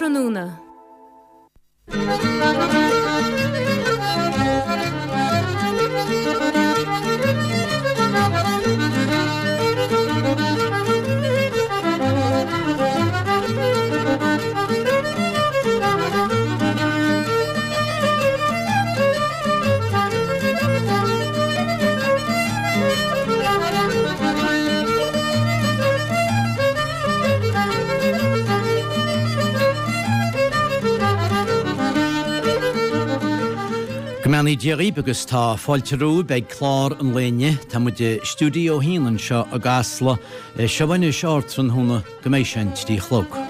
tráthnóna. Go mbeannaí Dia dhaoib agus tá fáilte romhaibh ag clár an lae inniu. Tá muid i stiúideo a haon anseo i gCasla. Seo anois ardtráthnóna. go mbeidh sé an 3 a chlog.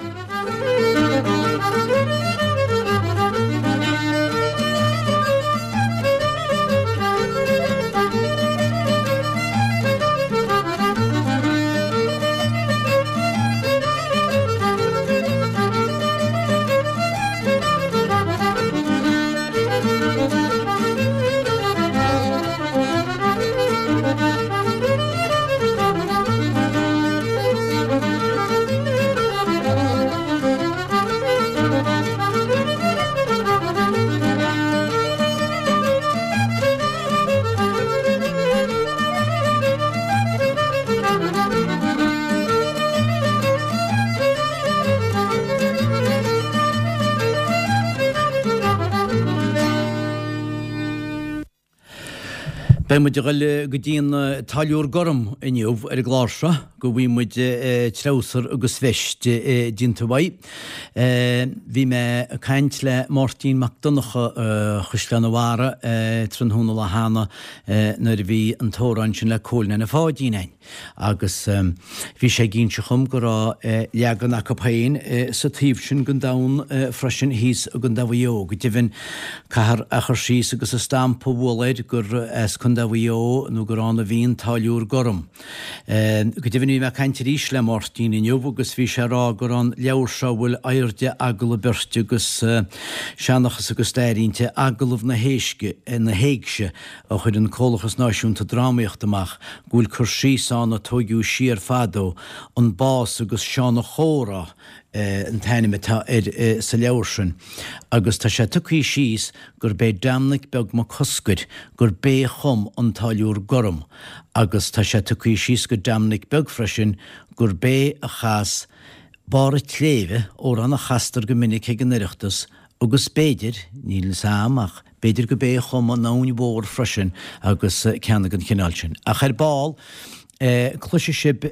Beidh muid ag dul go dtí an Táilliúr Gorm inniu ar an gclár seo, go bhfaighidh muid treabhsar agus veist déanta uaidh. Bhí mé ag caint le Máirtín Mac Donncha Chaisleán an Bharraigh tráthnóna lá cheana nuair a bhí an t-amhrán sin le Cóil Neaine Pháidín a'inn. Agus bhí sé ag inse dhom go raibh leagan acu féin sa taobh sin den domhan freisin, thíos i gContae Mhaigh Eo. Go deimhin, caithfear a chur síos agus a stampa a bhualadh air gur as Contae Mhaigh Eo nó gur ann a bhí an Táilliúr Gorm. Go deimhin, bhí mé ag caint arís le Máirtín inniu agus bhí sé ag rá gur an leabhar seo a bhfuil airde agallamh beirte agus seanchas agus stair inti, Agallamh na hÉigse, a chuir an Comhlachas Náisiúnta Drámaíochta amach, go bhfuil cur síos ann a tóigeadh siar fadó, An Bás agus Seán a' Chomhrá an t-ainm atá air sa leabhar sin, agus tá sé tugtha síos gurb é Dominic Beag Mac Cosgair gurb é a chum An Táilliúr Gorm, agus tá sé tugtha síos go Dominic Beag freisin gurb é a chas Barr a' tSléibhe, amhrán a chastar go minic ag an Oireachtas, agus b'fhéidir, níl 'fhios a'm ach b'fhéidir go b'é a chum An Abhainn Mhór freisin agus ceanna den chineál sin. Ach ar ball, cloisfidh sibh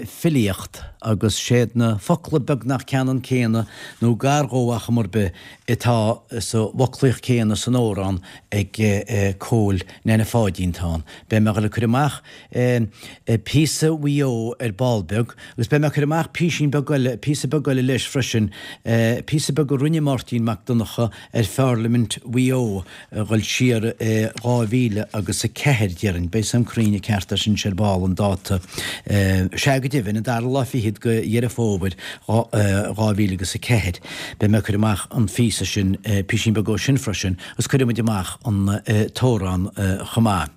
filíocht agus séad na focla beagnach ceannann céanna nó gar dhó ar chuma ar bith atá sa bhfoclaíocht céanna san amhrán ag Cóil Neaine Pháidín atá ann. Beidh mé a dhul ag cur amach píosa Mhaigh Eo ar ball beag, agus beidh mé ag cur amach písín beag eile, píosa beag eile leis freisin, píosa beag a rinne Máirtín Mac Donncha ar Pharlaimint Mhaigh Eo a dhul siar i 2000 agus 4, déarfainn. Beidh 'fhios a'm cruinn an ceart leis anois ar ball, an dáta. Sea, go deimhin, an dara lá fichead de Dheireadh Fómhair 2000 agus 4. Beidh mé ag cur amach an phíosa sin, písín beag ó sin freisin, agus cuirfidh muid amach an t-amhrán chomh maith.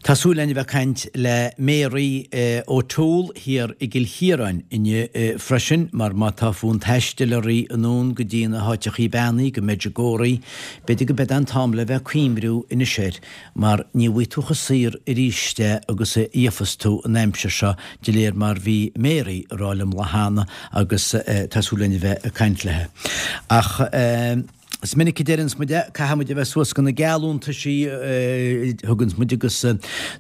Tá súil againn a bheith ag caint le Mary O'Toole thiar i gCill Chiaráin inniu freisin, mar má tá fonn taistil oraibh anonn go dtí na háiteachaí beannaithe, go Medjugorje, b'fhéidir go b'é an t-am le bheith ag cuimriú anois air, mar ní bhfaighidh tú chomh saor arís é agus a gheofas tú an aimsir seo, de réir mar bhí Mary ag rá liom lá cheana agus tá súil againn a bheith ag caint léi. Ach. Is minic a deireanns muid é, caithfidh muid a bheith suas go na geallúntaisí a thuganns muid agus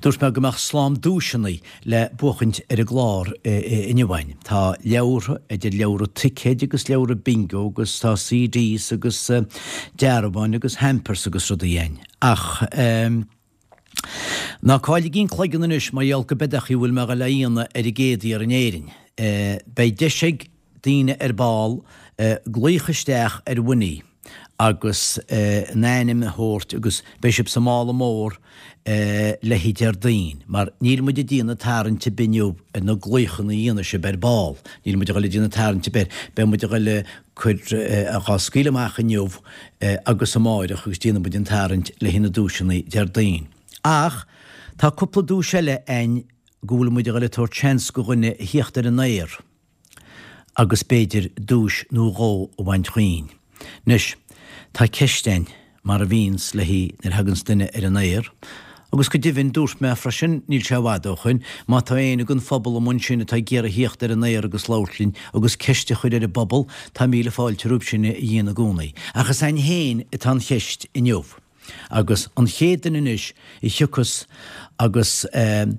dúirt mé go mbeadh slám duaiseanna le buachaint ar an gclár inniu againn. Tá leabhartha, idir leabhra ticéid agus leabhra bingo agus tá CDs agus dearbháin agus hampers agus rudaí againn. Ach. Ná cailligí an cloigeann anois mar gheall go b'é an chaoi a bhfuil mé a dhul a dhéanamh ar an gcéad fhear in Éirinn. Beidh deis ag daoine ar ball glaoch isteach ar Winnie agus a n-ainm a thabhairt agus beidh sibh sa mála mór le haghaidh Déardaoin mar níl muid ag déanamh tarraingt ar bith inniu ar na glaochanna a dhéanfaidh sibh ar ball. Níl muid a dhul ag déanamh tarraingt ar bith air. Beidh muid a dhul a cur dhá scaoileadh amach inniu agus amáireach agus déanfaidh muid an tarraingt le haghaidh na duaiseanna Déardaoin. Ach tá cúpla duais eile a'inn go bhfuil muid a dhul ag tabhairt seans go dhuine a thíocht ar an aer. agus b'fhéidir duais nó dhó a bhaint chugainn. Anois, tá ceist a'inn, mar a bhíonns le haghaidh nuair a thaganns duine ar an aer, agus go deimhin, dúirt mé freisin, níl sé i bhfad ó shoin, má tá éinne den phobal amuigh ansin atá ag iarraidh thíocht ar an aer agus labhairt linn agus ceist a chur ar an bpobal, tá míle fáilte roimh sin a dhéanamh i gcónaí. Ach is a'inn féin atá an cheist inniu. Agus an chéad duine anois a thiocfas agus a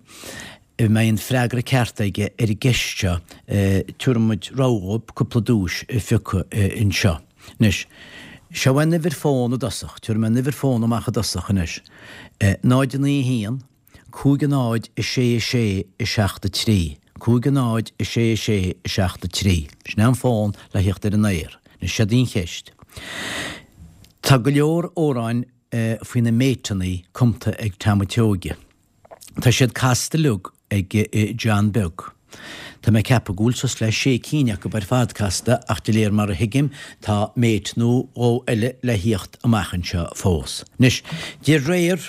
mbeidh an freagra ceart aige ar an gceist seo, tabharfaidh muid rogha dhóibh cúpla duais a phiocadh anseo. Anois, seo an uimhir fón i dtosach, tabharfaidh mé an uimhir fón amach i dtosach anois, 0 9 1 5 0 6 6 7 3, 5 0 6 6 7 3. Sin é an fón le thíocht ar an aer. Anois, seod í an cheist. Tá go leor amhráin faoi na méiteannaí cumta ag Tom a' tSeoighe. Tá siad casta uilig ag John Beag. Tá mé ag ceapadh go bhfuil suas le sé cinn acu ar fad casta ach de réir mar a thuigim tá méit nó dhó eile le thíocht amach anseo fós. Anois, de réir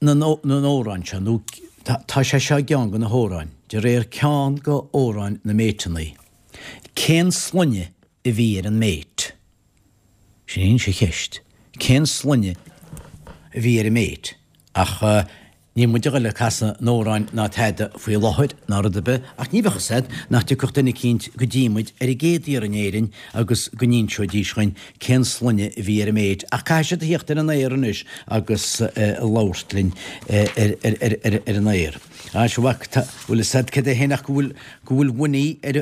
na n-amhrán seo, nó tá sé seo i gceann de na hamhráin, de réir ceann de amhráin na méiteannaí, cén sloinne a bhí ar an méit? Sin í an cheist. Cén sloinne a bhí ar an méit? Ach níl muid a ghoil ag casadh an amhráin ná tada faoi láthair ná rud ar bith, ach ní bheadh fhios a'd nach dtiocfadh duine eicínt go dtí muid ar an gcéad iarraidh in Éirinn agus go n-inseoidís dhuinn cén sloinne a bhí ar an méit. Ach caithfidh siad a thíocht ar an aer anois agus labhairt linn ar an aer. Á, sea, mhac, tá, bhfuil fhios a'd cad é féin ach go bhfuil, go bhfuil Winnie ar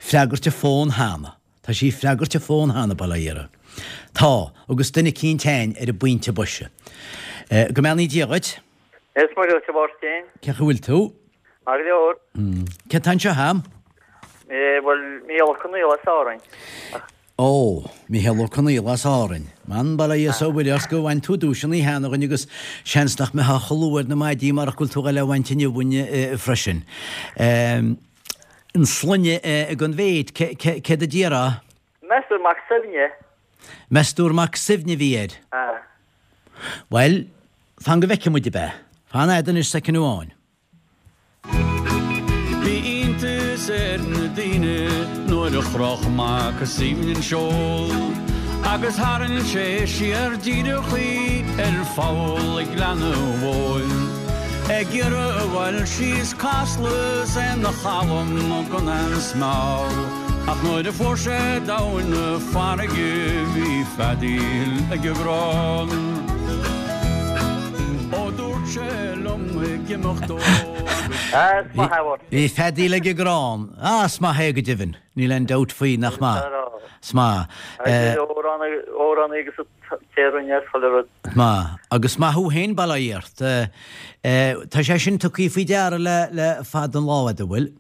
freagairt a fón cheana. Tá sí ag freagairt a fón cheana, bail ó Dhia uirthi. Tá, agus duine eicínt a'inn ar an bpointe boise. Go mbeannaí Dia dhuit. Is Muire dhuit, a Mháirtín. Cén chaoi a bhfuil tú? Maith go leor. Cé atá anseo a'm? Bhuel, Mícheál Ó Conaola as Árainn. Ó, Mícheál Ó Conaola as Árainn. Man, bail ó Dhia is ó Mhuire ort go bhain tú duaiseanna cheana dhuinn agus seans nach mbeifeá chomh luath ar na maidí marach go bhfuil tú a ghoil a bhaint inniu uainn freisin. An sloinne ag an mhéit, céard a déarfá? Meas tú Mac Suibhne. Meas tú Mac Suibhne a bhí air? Ah. Bhuel, fan go bhfeicfidh muid, ab ea? Fan a'd anois soicind amháin. Bhí iontas ar na daoine nuair a chroch Mac Suibhne an seol agus tharraing sé siar díreach í ar pholl ag Gleann a' Mhóir. Ag iarraidh a ghoil síos Casla 's é 'na chalm gan aon smál Ach nuair a fuair sé domhain na farraige bhí feadaíl ag an gcrann Ó dúirt sé liom ag imeacht dó agus. Bhí feadaíl ag an gcrann. Ah, is maith é go deimhin. Níl aon dabht faoi, nach maith? Is maith. Amhránaí agus té a rinne chuile rud. Maith. Agus maith thú féin, bail ó Dhia ort. Tá sé sin tugtha faoi deara le le fada an lá a'd, an bhfuil?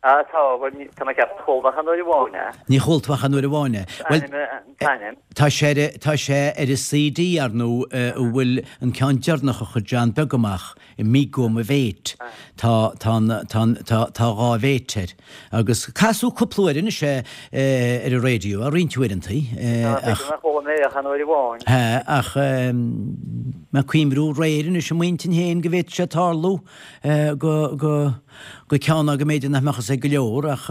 Ah, tá, bhuel, tá mé ag ceapadh chuala mé ach aon uair amháin é. Ní chuala tú ach aon uair amháin é. Bhuel, an t-ainm. Tá sé ar, tá sé ar an CD, ar ndóigh, a bhfuil an ceann deireanach a chuir John Beag amach. Amigo mo mhéit. Tá, tá an, tá an, tá, tá dhá mhéit air. Agus casadh cúpla uair anois é ar an raidió, roinnt uaireantaí, ach. Tá, chuala mé ach aon uair amháin. Tá, ach mé ag cuimhniú aréir anois i m'intinn féin go bhféadfadh sé tarlú go, go, go ceann ná go mb'fhéidir nach mbeadh fhios ag go leor ach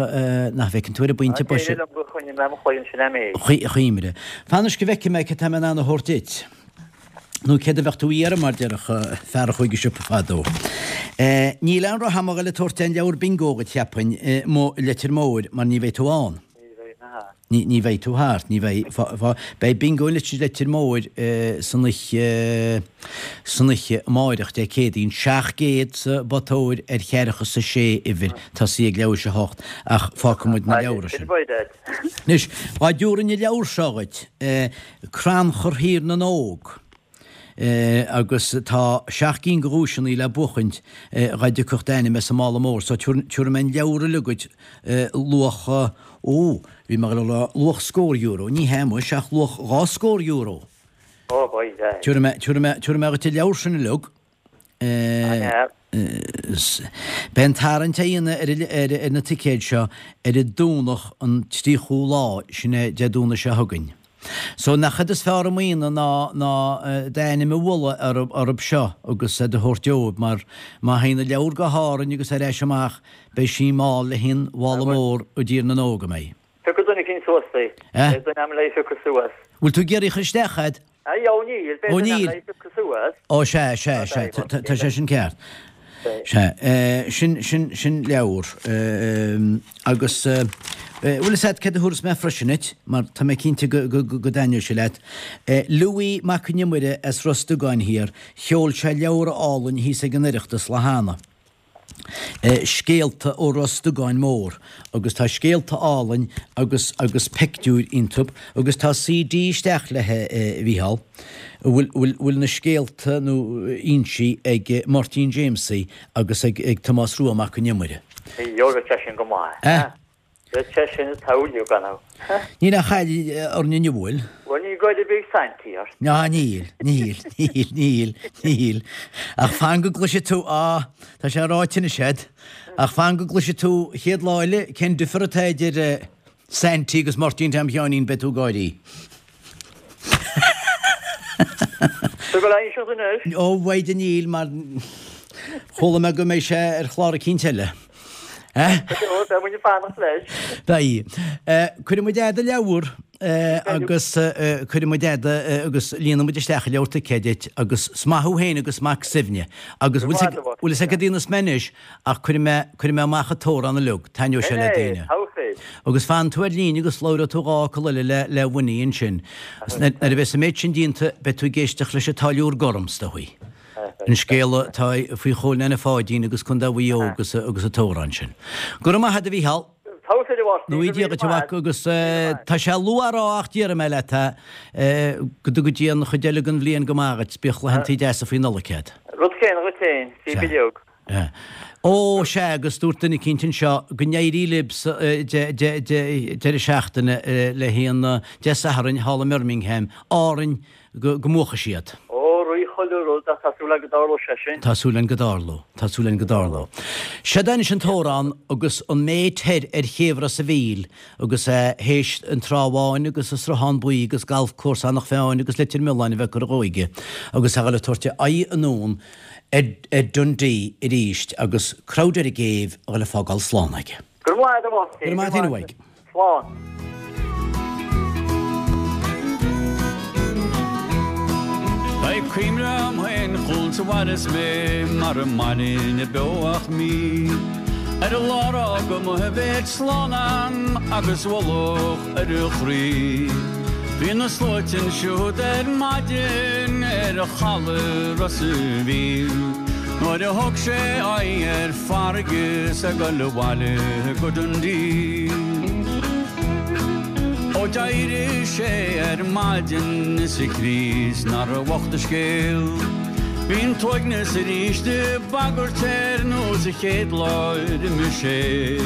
nach bhfeiceann tú ar an bpointe boise. Éirigh liom gur choinnigh mé mo chloigeann sin a'm é. Chuimhre. Fan anois go bhfeicfidh mé cad tá mé in ann a thabhairt duit. Nó céard a bheadh tú a iarraidh, mar déarfadh fear a chuaigh go siopa fadó. Níl aon rogha a'm a ghoil ag tabhairt aon leabhar bingo dhuit, cheapfainn, i Leitir Móir, mar ní bheidh tú ann. Ní bheidh mé thart. Ní, ní bheidh tú thart, ní bheidh. Fá, fá, beidh bingo i Leitir Móir san oíche, san oíche amáireach, Dé Céadaoin, 700 sa bpota óir ar cheathracha is a sé uimhir, tosaí ag leathuair théis a hocht, ach fágfaidh muid na leabhra sin. Anois, dhá dtabharfainn an leabhar seo dhuit, Crannchur Thír na nÓg, agus tá seacht gcinn de dhuaiseanna le buachaint dhá dtiocfadh d'ainm as an mála mór, so tabharfaidh mé an leabhar uilig dhuit, luach, ó, bhí mé ag dul a rá luach scór euro, ní hea muis, ach luach dhá scór euro. Ó, boy, Tabharfaidh mé, tabharfaidh mé, tabharfaidh mé dhuit an leabhar sin uilig. Beidh an tarraingt á dhéanamh ar na ticéid seo ar an Domhnach an 30ú lá, sin é Dé Domhnaigh seo chugainn. So nach cad is fearr i mbliana ná ná d'ainm a bhualadh orthub seo agus iad a thabhairt dóibh mar má théann an leabhar go hÁrainn agus ar ais amach beidh sí mall le haon mhála mór i dTír na nÓg a mbeidh. Piocfaidh duine eicínt suas í. Beidh duine a'm le í phiocadh suas. Bhfuil tú ag iarraidh a chur isteach a'd? Ó níl, beidh duine a'm le í phiocadh suas. Ó sea, sea, sea, tá sé sin ceart. Sea, sin, sin, sin leabhar. Agus, bhfuil fhios a'd céard a thabharfas mé freisin duit, mar tá mé cinnte go, go, go dtaitneoidh sé leat. Louis Mac an Iomaire as Ros Dugáin Thiar, sheol sé leabhar álainn thíos ag an Oireachtas lá cheana. Scéalta ó Ros Dugáin Mór agus tá scéalta álainn agus agus peictiúir iontub agus tá CD isteach leithe a Mhícheál a bhfuil bhfuil bhfuil na scéalta nó inste ag Máirtín Jamesie agus ag ag Tomás Rua Mac an Iomaire. Gheobhaidh sé sin go maith. Eh? Bheadh sé sin ag toiliú, gan amhras. Níl aon chaill orainn inniu, bhfuil? Bhuel, níl goid ar bith ag Saintí ort. Ná níl, níl, níl, níl, níl. Ach fan go gcloisfidh tú, á, tá sé ráite anois a'd, ach fan go gcloisfidh tú chéad lá eile cén difear atá idir Saintí agus Máirtín Tom Sheáinín, beidh tú ag gáirí. Tá go leor seo anois. Ó, mhaide níl, mar chuala mé go mbeidh sé ar chlár eicínt eile. Beidh muid ag fanacht leis. Beidh. Cuirfidh muid do leabhar agus cuirfidh muid agus líonfaidh muid isteach an leabhar ticéid duit agus is maith thú féin agus Mac Suibhne. Agus bhfuil fhios a'd cad a dhéanfas mé anois Ach cuirfidh mé, cuirfidh mé amach an t-amhrán uilig, taitneoidh sé le daoine. Agus fan tú ar líne agus labhróidh tú dhá fhocal eile le, le Winnie ansin. Agus nuair a bheas an méid sin déanta, beidh tú ag éisteacht leis an Táilliúir Gorm, is dóigh. An scéal atá faoi Chóil Neaine Pháidín agus Contae Mhaigh Eo agus, agus an t-amhrán sin. Go raibh maith agat a Mhícheál. Nó Dia duit a mhac agus tá sé luath a rá ach déarfaidh mé leat é, go dtuga Dia an chuid eile den bhliain go maith dhuit, bíodh laethantaí deasa faoi Nollaig agat. Rud céanna dhuit féin, bhí bileog. Ó, sea, agus dúirt duine eicínt anseo go n-éirí libh sa deireadh seachtaine le haon Dé Sathairn thall i mBirmingham, Árainn, go mbuafaidh siad. Ó, rith chuile rud ach tá súil agam go dtarlóidh sé sin. Tá súil againn go dtarlóidh. Tá súil againn go dtarlóidh. Seod é anois an t-amhrán agus an méid thoir ar chéibh Ros a' Mhíl agus é théis an Trá Bháin agus an Sruthán Buí agus Galf Cúrsa Eanach Mheáin agus Leitir Mealláin a bheith curtha dhó aige agus é a dhul ag tabhairt a aghaidh anonn ar Dundee arís agus crowd ar an gcéibh a dhul ag fágáil slán aige. Go raibh maith agat a Mháirtín. Go raibh maith agat féin a Mhaidhc. Slán. Beidh cuimhne a'm féin chugat sa bhaile is mé mara mbainfinn beo ach mí ar an lá ar fhág mo bhéal slán a'm agus ualach ar a chroí. Bhí na sluaite ansiúd ar maidin ar chaladh Ros a' Mhíl nuair a thug sé aghaidh ar farraige 's ag dul abhaile go Dundee. Ó d'éirigh sé ar maidin is a chroí 's nár bhocht a scéal. Bhí an t-uaigneas arís ag bagairt air nós an chéad lá ar imigh sé.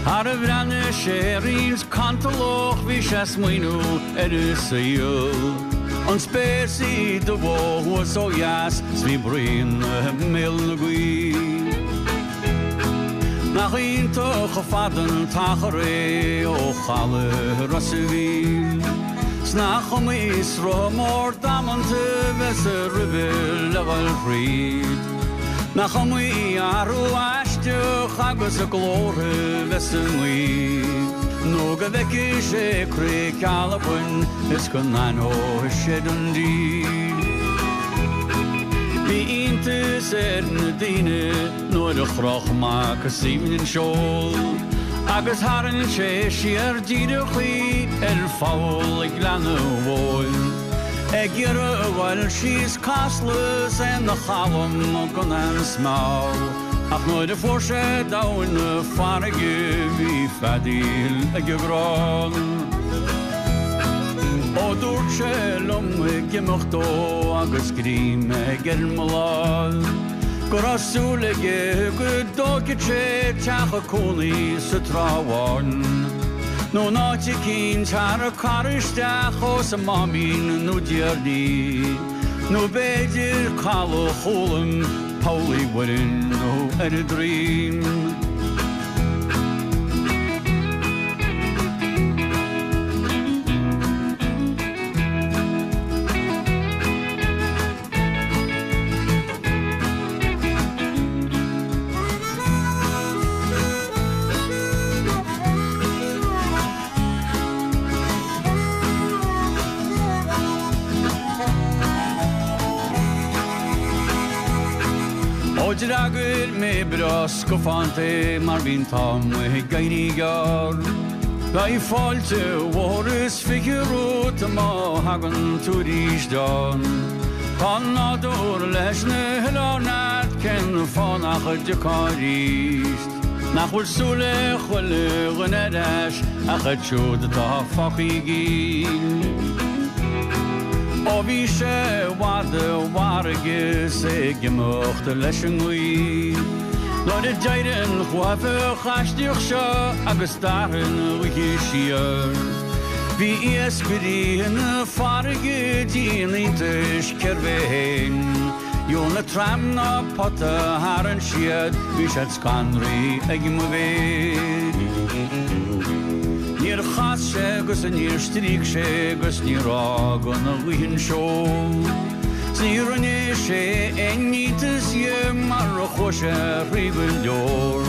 Thar a bhreathnaigh sé roinnt cantalach bhí sé smaoineamh ar a saol. An spéir 's í dubh ó thuaidh 's ó dheas 's bhí braon i mbéal na gaoithe. Nach iontach chomh fada an t-achar é ó chaladh Ros a' Mhíl. 'S nach iomaí sruth mór damanta bheas roimhe le dhul thríd. Nach iomaí athrú aisteach agus glórtha bheas sa ngaoth. Nó go bhfeicfidh sé cnoic Albain is go n-aithneoidh sé Dundee. Bhí iontas ar na daoine nuair a chroch Mac Suibhne an seol agus tharraing sé siar díreach í ar pholl ag Gleann a' Mhóir. Ag iarraidh a ghoil síos Casla 's é 'na chalm gan aon smear. Ach nuair a fuair sé domhain na farraige bhí feadaíl ag an gcrann. Ó dúirt sé liom ag imeacht dó agus greim aige ar mo láimh go raibh súil aige go dtógfadh sé teach cónaí sa Trá Bháin. Nó in áit eicínt thar an carr isteach ós an Máimín nó Déirní, nó b'fhéidir Caladh Chúlaim, Poll Uí Mhuirinn nó ar an Droim. d'fhreagair mé breá scafánta é mar bhí an t-am ag éirí gearr. Beidh fáilte mhór is 20 romhat má thagann tú arís ann. Tá nádúr leis na hoileáin a'd cén fáth nach dtiocfá arís? Nach bhfuil súil ag chuile dhuine ar ais ach iad siúd atá fágtha i gcill. Ó bhí sé i bhfad i bhfarraige is é ag imeacht leis an ngaoth. Nuair a d'éirigh an chuaifeach aisteach seo agus d'athraigh an oíche siar. Bhí iascairí na farraige dian iontais cérbh é fhéin. Dhiabhal ná tram ná pota a tharraing siad, bhí siad scanraithe ag mo mhéid. Níor chas sé agus níor stríoc sé agus níor fhág an ghaoth an seol. 'S ní rinne sé aon iontas dhe mar a chuaigh sé thrí go leor.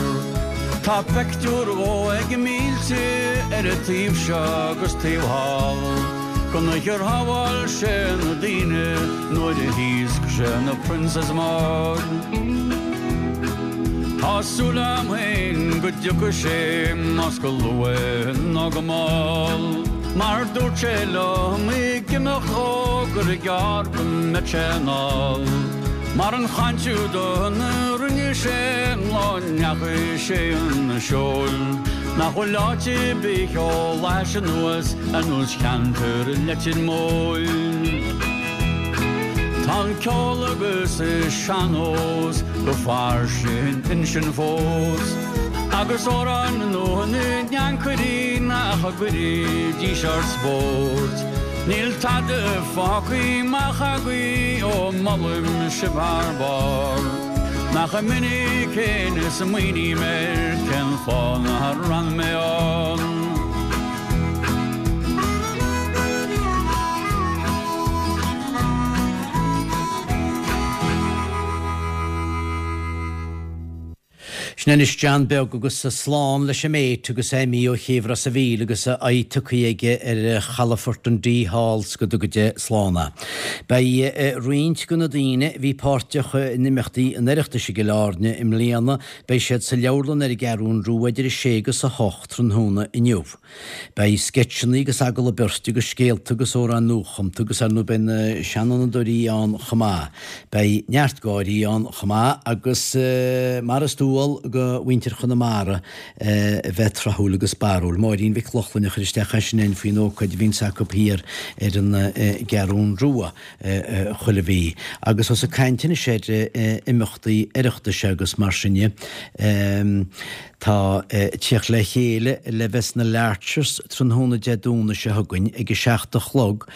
Tá peictiúr dhó ag mílte ar an taobh seo agus taobh thall. Gon oíche ar shábháil sé na daoine nuair a thaosc sé na Princess Maud. Tá súil a'm féin go dtiocfaidh sé más go luath nó go mall. Mar dúirt sé liom ag imeacht dhó gur gearr go mbeadh sé anall. Mar an chaint úd a rinne sé an lá a ndeachaigh sé chun seoil. Nach bhfuil áit ar bith chomh leis anuas ar nós cheantar Leitir Móir. Tá an ceol agus an sean-nós go fairsing ansin fós, agus amhráin nua na n-ancairí nach gcuirfidís ar spórt. Níl tada fágtha amach agaibh ó molaim sibh thar barr. Nach minic fhéin a smaoiním air cén fáth nár fhan mé ann. Sin anois John Beag agus slán leis an Mate agus é imithe ó chéibh Ros a' Mhíl agus a aghaidh tugtha aige ar chalafort an D thall 's go dtuga Dia slán é. Beidh roinnt de na daoine a bhí páirteach in imeachtaí an Oireachtais i gCill Airne i mbliana, beidh siad sa leabharlann ar an gCeathrún Rua idir 6 agus 8 tráthnóna inniu. Beidh sceitseanna agus agallamh beirte agus scéalta agus amhráin nuachumta agus ar ndóigh beidh na seanfhondúirí ann chomh maith. Beidh neart gáirí ann chomh maith agus mar is dual do mhuintir Chonamara a bheith tráthúil agus barrúil. Máirín Mhic Lochlainn a chuir isteach é sin againn faoin ócáid a bhíonns acu thiar ar an gCeathrún Rua chuile mhí. Agus ós ag caint anois ar imeachtaí Oireachtais agus mar sin dhe, tá tíocht le chéile le bheith sna Larchers tráthnóna Dé Domhnaigh seo chugainn ag a 7 a chlog.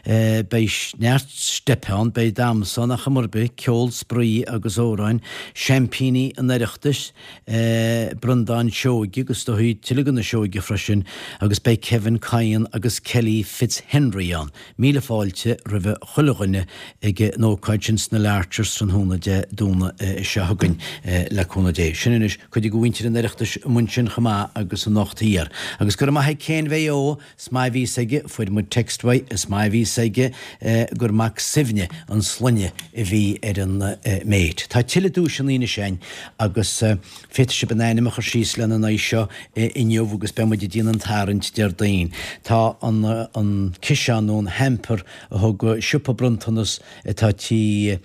Beidh neart steip ann, beidh damhsa ann ar chuma ar bith, ceol, spraoi agus amhráin, seaimpíní an Oireachtais, Breandán Seoige agus is dóigh tuilleadh de na Seoighe freisin agus beidh Kevin Kyan agus Kelly Fitzhenry ann. Míle fáilte roimhe chuile dhuine ag an ócáid sin sna Larchers tráthnóna Dé Domhnaigh seo chugainn, le cúnamh Dé. Sin anois cuid de mhuintir an Oireachtais amuigh ansin chomh maith agus anocht thiar. Agus go raibh maith ag Céin Mhaigh Eo, is maith a bhí fhios aige, fuair muid text uaidh, is maith a bhí fhios aige gur Mac Suibhne an sloinne a bhí ar an Mate. Tá tuilleadh duaiseanna anois againn agus. Féadfaidh sibh bhur n-ainm a chur síos lena n-aghaidh seo inniu agus beidh muid ag déanamh an tarraingt Déardaoin. Tá an ciseán nó an hamper a thug siopa bronntanas atá Tí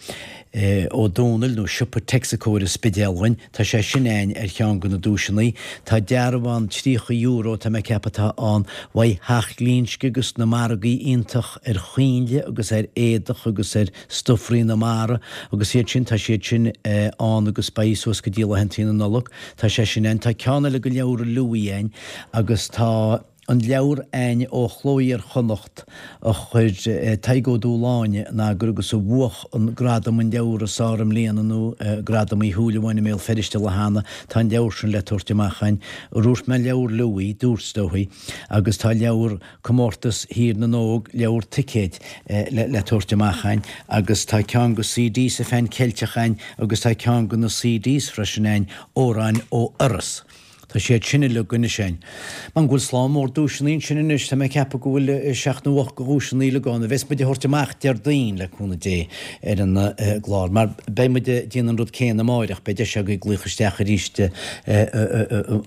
Ó Dónaill nó siopa Texaco ar an Spidéal dhuinn, tá sé sin againn ar cheann de na duaiseanna. Tá dearbhán €30 tá mé ag ceapadh atá ann uaidh Theach Glinsce agus na margaí iontach ar choinnle agus ar éadach agus ar Stofraí na Mara agus iad sin, tá siad sin ann agus beidh suas go dtí laethantaí na Nollag. Tá sé sin ann. Tá ceann eile de leabhar Louis ann agus tá an leabhar ann ó Chló Iar-Chonnacht a chuir Tadhg Ó Dúshláine in eagar agus a bhuach an gradam an leabhar is fearr i mbliana nó Gradam Uí Shúilleabháin i mBéal Feirste lá cheana. Tá an leabhar sin le tabhairt amach ann. Ar dhúirt mé leabhar Louis? Dúirt, is dóigh. Agus tá leabhar. Comórtas Thír na nÓg, leabhar ticéid le tabhairt amach againn agus tá ceann de CDs an Phean Ceilteach againn agus tá ceann de na CDs freisin againn, Amhráin ó Iorras. Tá siad sin uilig anois a'inn. Man go bhfuil slám mór duaiseanna ansin anois, tá mé ag ceapadh go bhfuil seacht nó ocht de dhuaiseanna uilig ann, a bheas muid a thabhairt amach Déardaoin, le cúnamh Dé, ar an gclár. Mar beidh muid ag déanamh an rud céanna amáireach, beidh deis agaibh glaoch isteach arís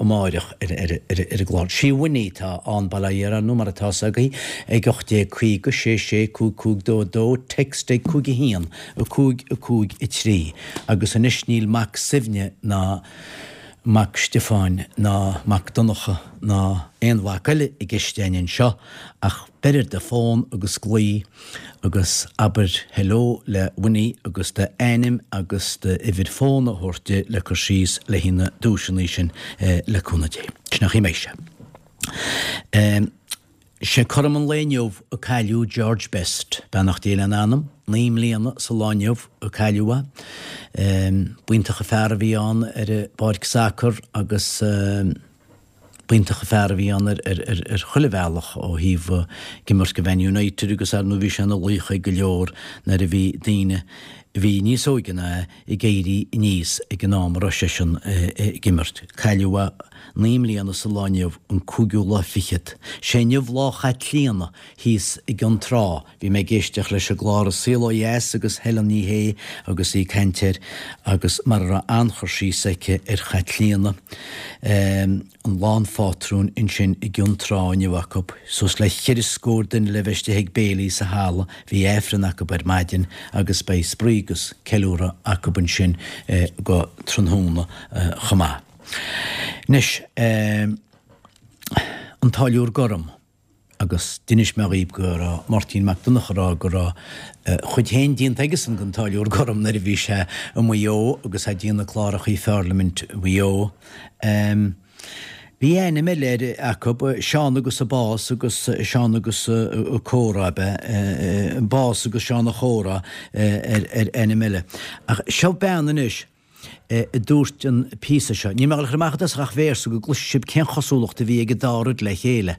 amáireach ar an gclár. Sí Winnie atá ann, Baile Átha Fhirdh, ar ndóigh, mar atá 's agaibh, ag 1850 66 5522, text ag 5 1 5 5 3. Agus anois níl Mac Suibhne ná. Mac Stiofáin ná Mac Donncha ná aon mhac eile i gceist a'inn anseo ach beir ar do fón agus glaoigh agus abair hello le Winnie agus d'ainm agus d'uimhir fóin a thabhairt di le cur síos le haghaidh na duaiseanna sin le cúnamh Dé. Sin an chaoi a mbeidh sé. Sé cothrom an lae inniu a cailleadh George Best, beannacht Dé lena anam, 9 mbliana sa lá inniu a cailleadh é. B'iontach an fear a bhí ann ar an bpáirc sacair agus b'iontach an fear a bhí ann ar chuile bhealach ó thaobh ag imirt do Man United agus ar ndóigh bhí sé ina laoch ag go leor nuair a bhí daoine a bhí níos óige ná é ag éirí aníos ag an am a raibh seisean ag imirt. Cailleadh é 9 mbliana sa lá inniu, an cúigiú lá fichead. Sé inniu Lá Chaitlíona thíos i gCionn Trá. Bhí mé ag éisteacht leis an gclár An Saol Ó Dheas agus Helen Ní Shé agus í ag caint air agus mar a raibh an-chur síos aici ar Chaitlíona. An Lá an Phátrúin ansin i gCionn Trá inniu acu. Suas le cheithre scór duine le bheith istigh ag béilí sa halla. Bhí Aifreann acu ar maidin agus beidh spraoi agus ceiliúradh acu ansin go tráthnóna chomh maith. Anois, an Táilliúir Gorm, agus d'inis mé dhaoibh go raibh Máirtín Mac Donncha ag rá go raibh a chuid féin déanta aigesan den Táilliúir Gorm nuair a bhí sé i Maigh Eo agus é ag déanamh clárachaí Pharlaimint Mhaigh Eo. Bhí ainm eile air acu, Seán agus a Bás agus Seán agus a Comhrá, ab ea? Bás agus Seán a Chomhrá ar ainm eile. Ach seo bean anois a dúirt an píosa seo. Níl mé ag dul a chur amach i dtosach ach véarsa go gcloisfidh sibh cén chosúlacht a bhí ag an dá rud le chéile,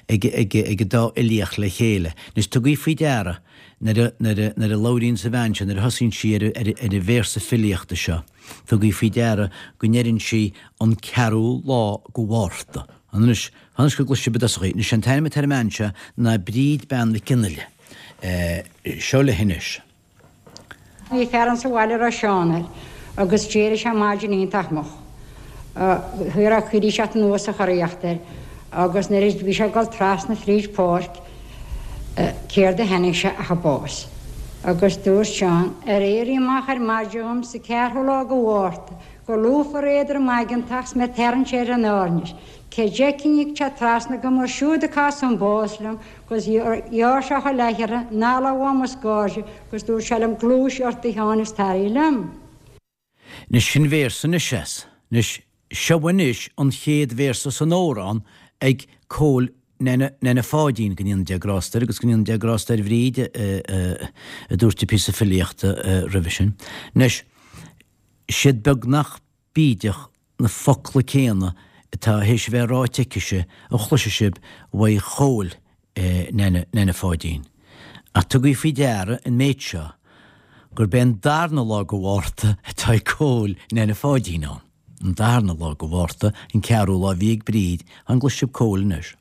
ag an dá fhilíocht le chéile. Anois tugaí faoi deara nuair a, nuair a, nuair a labhraíonns an bhean seo, nuair a thosaíonn sí ar, ar, ar an véarsa filíochta seo, tugaí faoi deara go ndeireann sí an ceathrú lá go Mhárta. Anois, anois go gcloisfidh sibh i dtosach í. Anois an t-ainm atá ar an mbean seo ná Bríd Bean Mhic Fhionnaile. Seo léi anois. Bhí fear ann sa bhaile a raibh Seán air agus d'éirigh sé maidin iontach moch. Ní raibh cuid teacht anuas sa churaíocht air agus nuair a bhí sé ag dul trasna fríd pháirc céard a chonaic sé ach an bás. Agus dúirt Seán, Ar éirí amach ar maidin dhom sa ceathrú lá go Mhárta go lúfar éadrom aigeantach 's mé tarraingt ar an áirnis, cé d'fheicfinn ag teacht trasna dhom mar siúd a cas an bás liom 'Gus ghearr sé a chuid leathchearra anall uaim os gairde 'gus dúirt sé liom Gluais ort a Sheáin is tar liom. Anois sin véarsa anois as. Anois seo anois an chéad véarsa san amhrán ag Cóil Nana Nana Pháidín, go ndéana Dia grásta air agus go ndéana Dia grásta ar Bhríd a dúirt an píosa filíochta roimhe sin. Anois, siad beagnach bídeach na focla céanna atá théis a bheith ráite aicise a chloisfidh sibh uaidh Chóil Nana Nana Pháidín. Ach tugaí faoi deara an méid seo, gurb é an darna lá go Mhárta atá ag Cóil Nana Pháidín ann. An darna lá go Mhárta, an ceathrú lá a bhí ag Bríd, an gcloisfidh sibh Cóil anois.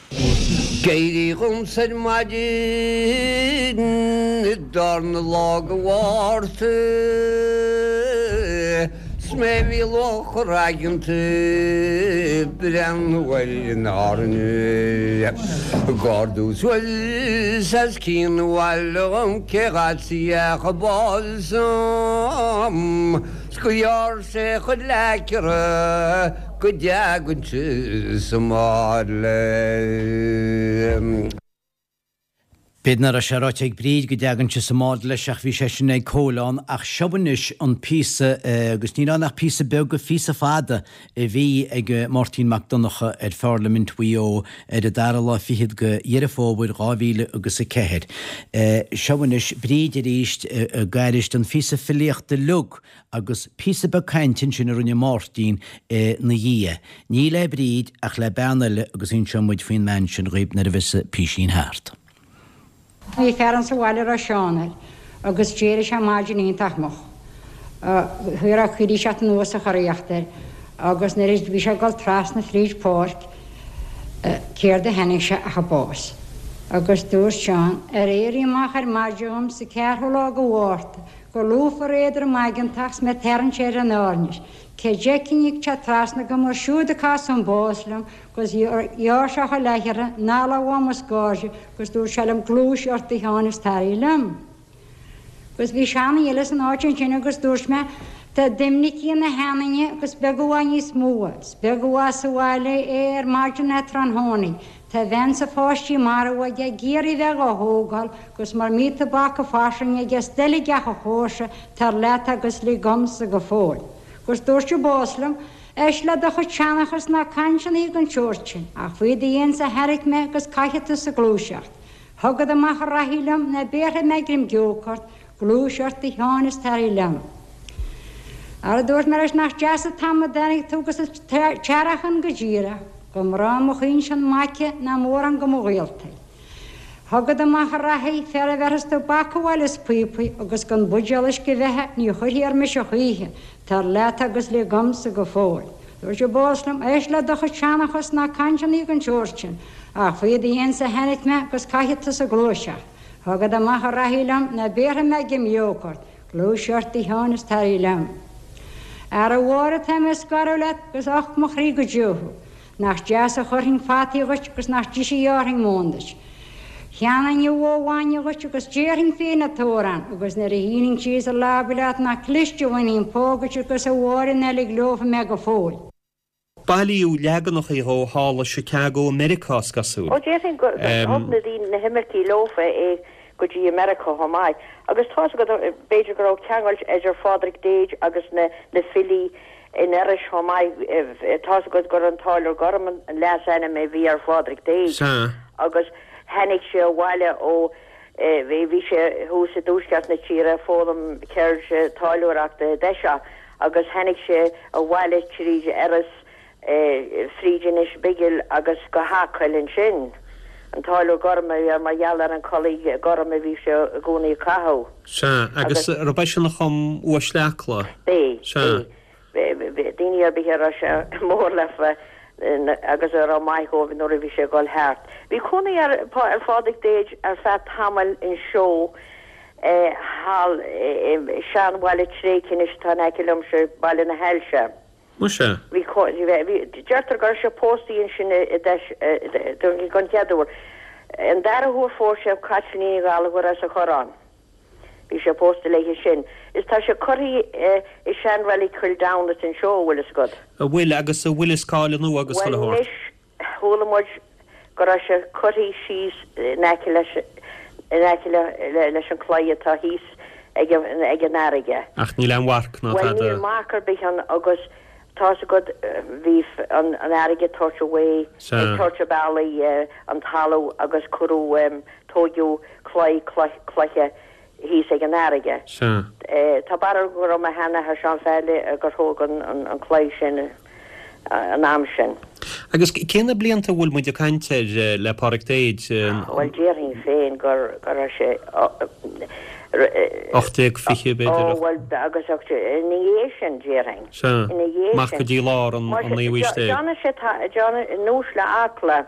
D'éirigh dhomsa ar maidin an darna lá go Mhárta 's mé a bhí lúfar aigeanta ag breathnú ar an Áirne ag ardú suas as cionn an bhaile dhom cé dh'fhad an bás dhom 's gur ghearr sé a chuid leathchearra go dteagainnse sa mbád leis. B'fhéidir nach raibh sé ráite ag Bríd go dteagainnse sa mbád leis ach bhí sé sin ag Cóil ann ach seo anois an píosa agus níl ann ach píosa beag de phíosa fada a bhí ag Máirtín Mac Donncha ar Pharlaimint Mhaigh Eo ar an dara lá fichead de Dheireadh Fómhair 2000 agus 4. Seo anois Bríd arís ag aithris an phíosa filíochta uilig Agus píosa beag cainte ansin a rinne Máirtín ina dhiaidh. Ní le Bríd ach le bean eile agus inseoidh muid faoin mbean sin dhaoib nuair a bheas an písín thart. Bhí fear ann sa bhaile a raibh Seán air agus d'éirigh sé maidin iontach moch. Ní raibh cuid teacht anuas sa churaíocht air. Agus nuair a bhí sé ag dul trasna fríd páirc céard a chonaic sé ach an bás. Agus dúirt Seán, Ar éirí amach ar maidin dhom sa ceathrú lá go Mhárta, go lúfar éadrom aigeantach 's mé ag tarraingt ar an áirnis, cé d'fheicfinn ag teacht trasna dhom ach siúd ag casadh an bás liom 'gus ghearr sé chuile chearra analla uaim os cairde 'gus dúirt sé liom gluais ort a Sheáin is tar liom. Agus bhí seanduine eile san áit ansin agus dúirt mé, Tá Doimnicí ina sheanduine agus beag uaidh níos mó, is beag uaidh sa bhaile é ar maidin ná tráthnóna. Tá a bhean 's a pháistí marbh aige ag iarraidh bheith dhá thógáil agus mura mbí tobac fairsing aige is doiligh ach a chomharsa, tar leat agus lig dhomsa go fóill. Agus dúirt an bás liom, Éist le do chuid seanchas ná cainteanna den tseort sin, ach faoi do dhéansa a thairrig mé agus caithfidh tusa gluaiseacht. Thugad amach a rachaidh liom ná béarfaidh mé greim gióc ort, gluais ort a Sheáin is tar liom. Ara dúirt mé leis nach deas an t-am a dtáinig tú agus an t-earrach ann go díreach, go mbrá mo chuingsean m'aice ná mórán go mo ghaoltaí. Thugad amach a rachaidh fear a bhéarfas tobac abhaile is píopaí agus gan buidéal uisce bheatha ní chuirfidh air mise choíche, tar leat agus lig dhomsa go fóill. Dúirt an bás liom, Éist le do chuid seanchas ná cainteanna den tseort sin, ach faoi do dhéansa a tháinig mé agus caithfidh tusa gluaiseacht. Thugad amach a rachaidh liom ná béarfaidh mé greim gióc ort, gluais ort a Sheáin is tar liom. Ara a Mháire tá mé ag scaradh leat agus och mo chroí go deo thú. Nach deas a chuirfinn fataí dhuit agus nach deise a ghearrfainn móin duit. Cheannóinn an bhó bhainne dhuit agus déarfainn féin an t-amhrán agus nuair a shínfinn síos i leaba leat nach cliste a bhainfinn póg duit agus a Mháire ná lig leofa mé go fóill. Bailíodh leaganacha dhó thall i Chicago i Meiriceá, is cosúil. Ó, déarfainn gur thug na daoine, na himircigh leofa é go dtí America chomh maith. Agus tá's agat, b'fhéidir go raibh ceangal idir Phádraig Deeds agus na filí in Iorrais chomh maith. Tá's agat gur an Táilliúir Gorm an leasainm a bhí ar Phádraig Deeds agus tháinig sé abhaile ó, bhí sé thuas i dtuaisceart na tíre ag foghlaim ceird táilliúireachta i dtoiseach agus tháinig sé abhaile tríd Iorras, fríd Inis Bigil agus go hAcaill ansin. An Táilliúir Gorm a bhí air mar gheall ar an culaith gorm a bhí sé i gcónaí ag caitheamh. Sea, agus arb eisean a chum Uaisle Acla? B'é, Sea. b'é. Daoine ar bith a raibh sé mór leofa agus a raibh maith dhóibh nuair a bhí sé ag dul thart. Bhí cónaí ar Phádraig Deeds ar feadh tamaill anseo thall i seanbhaile tréigthe anois atá in aice liomsa, Baile na hAilse. Muise. Bhí, bhí, deirtear go raibh sé pósta ansin i dtois, don chéad uair. An dara huair phós sé Caitlín Ní Ghallchóir as an Chorrán. Bhí sé pósta léithe sin. Is tá sé curtha i seanreilig Chill Damhnait anseo, a bhfuil fhios agat. A bhfuil, agus a bhfuil fhios cá fháil anuas agus chuile shórt. Bhuel anois, chuala muid go raibh sé curtha síos in aice leis, in aice leis an claí atá thíos ag an, ag an fharraige. Ach níl aon mharc ná Bhuel tada. níl marc ar bith ann agus tá's agat bhí an an fharraige ag tabhairt away, Sea. ag tabhairt a bealaigh an talamh agus cuireadh, tóigeadh claí cloiche thíos ag an fharraige. Sea. Tá barúil go raibh mo sheanathair Seán Pheaidil gur thóg an claí sin an am sin. Agus cé na blianta a bhfuil muid ag caint air le Pádraig Deeds? Bhuel déarfainn féin gur go raibh sé. 1820 b'fhéidir. Ó bhuel agus ina dhiaidh sin déarfainn. Sea. Ina dhiaidh sin. Amach go dtí lár an naoú haois déag. Déanann sé, déanann, in Uaisle Acla.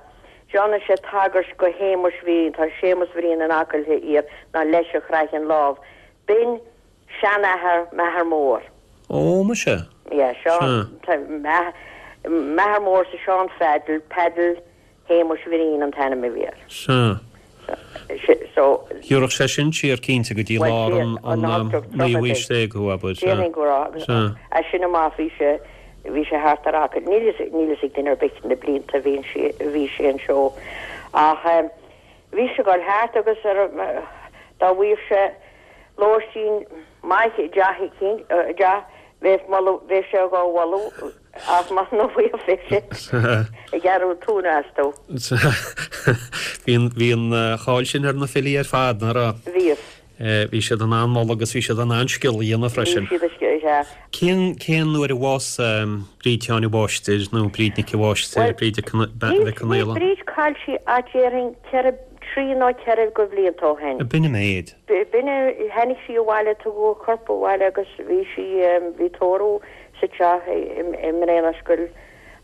Déanann sé tagairt go Shéamuis Bhriain, tá Séamus Bhriain in Acaill Thiar, ná leis a chraith an lámh. B'in seanathair m'athar mór. Ó, muise. Yeah, Seán, m'athair mór sa Seán Pheaidil, Peaidil Shéamuis Bhriain an t-ainm a bhí air. Sea. So. Thiúrfadh sé sin siar cinnte go dtí lár an naoú haois déag thú, abair. Déarfainn go raibh, agus as sin amach bhí sé, bhí sé thart ar Acaill. Níl fhios, níl fhios ag duine ar bith na blianta a bhí sé, a bhí sé anseo. Ach bhí sé ag dul thart agus ar, dá bhfaigheadh sé lóistín maith i dteach eicínt, i dteach, bheadh moladh, bheadh sé dhá mholadh ach muna bhfaigheadh bheadh sé ag gearradh tóin astu. Bhí an, bhí an cháil sin ar na filí ar fad, nach raibh? Bhíodh. Bhí siad in ann moladh agus bhí siad in ann scil a dhéanamh freisin. Bhí siad a scil, sea. Cén, cén uair a bhásaigh Bríd Sheáin a' Mháistir nó Bríd Nic a' Mháistir, Bríd Mhic an Níl Fhiolla? Bríd caillte ach déarfainn ceithre, trí nó ceithre go bhlianta ó shin. B'in an méid. B'in, tháinig sí abhaile, tugadh a corp abhaile agus bhí sí, bhí tórramh. sa teach i mBréanarscoil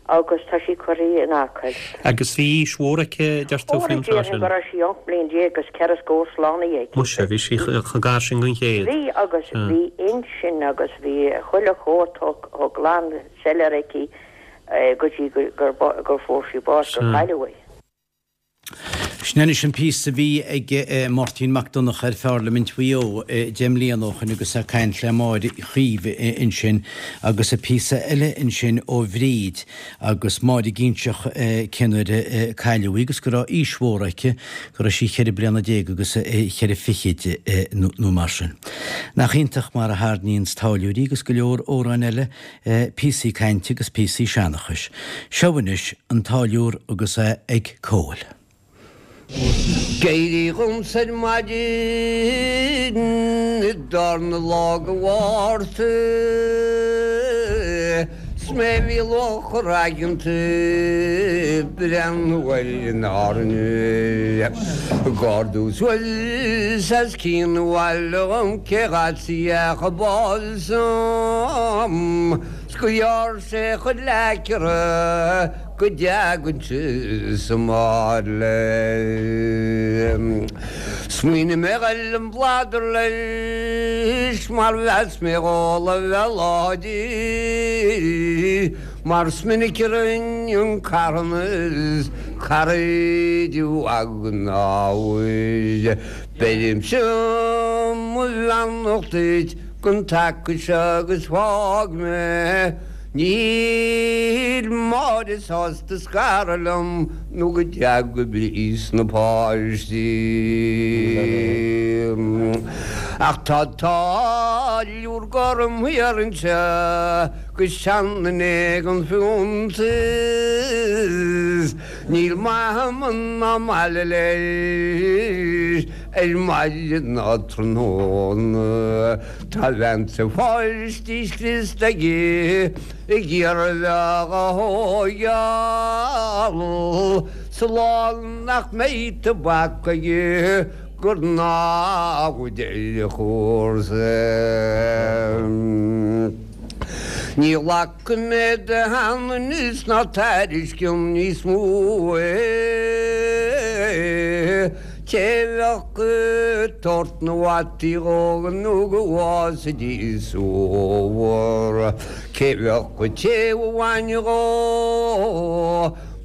agus tá sí curtha in Acaill. Agus bhí aois mhór aici, deir tú, Ó, faoin tráth déarfainn sin? go raibh sí 18 mbliain agus ceithre scór slánaithe aici. Muise, bhí sí chomh gar sin don chéad. Bhí agus bhí intinn agus bhí chuile shórt chomh glan soiléir aici go dtí gur fuair sí bás, gur cailleadh í. Sin anois an píosa a bhí ag Máirtín Mac Donncha ar Pharlaimint Mhaigh Eo 10 mbliana ó shoin agus é ag caint le Máire Chaoimh ansin agus an píosa eile ansin ó Bhríd agus Máire ag inseacht cén uair a cailleadh í agus go raibh aois mhór aici, go raibh sí cheithre bliana déag agus cheithre fichid nó mar sin. Nach iontach mar a tharraingíonns táilliúirí agus go leor amhráin eile píosaí cainte agus píosaí seanchais. Seo anois an táilliúr agus é ag Cóil. D'éirigh dhomsa ar maidin i dtarna lá de Mhárta 's mé bhí luachar aigeanta breathnú ar an Árainn ag ardú suas as cionn an bhaile dhom cé dh'fhad a bás 's gur ghearr sé a chuid leacara go dteagainn sa mbaile. Smaoinigh mé dhul i mbladar leis mar mheas mé dhó a bheith láidir mar is minic a rinne an carthanas cara de mhagadh an Beirimse mo bheannacht duit don taca seo agus fág mé. Níl Máire sásta scaradh liom nó go dteaga Bríd 's na páistí. Ach tá táilliúr gorm thiar anseo 'gus seanduine gan fiúntas. Níl maith ná maille leis ar maidin ná tráthnóna. Tá bhean 's a pháistí scriosta aige ag iarraidh bheith á thóigeáil sa lá nach mbeidh tobac aige gur namhaid ar a chúrsa. Ní ghlacfaidh mé de sheanaineas ná tairisceom níos mó é. Té bheadh ag tabhairt na bhfataí dhó nó go bhfásfaidís sa bhfómhar, cé bheadh ag téamh an bhainne dhó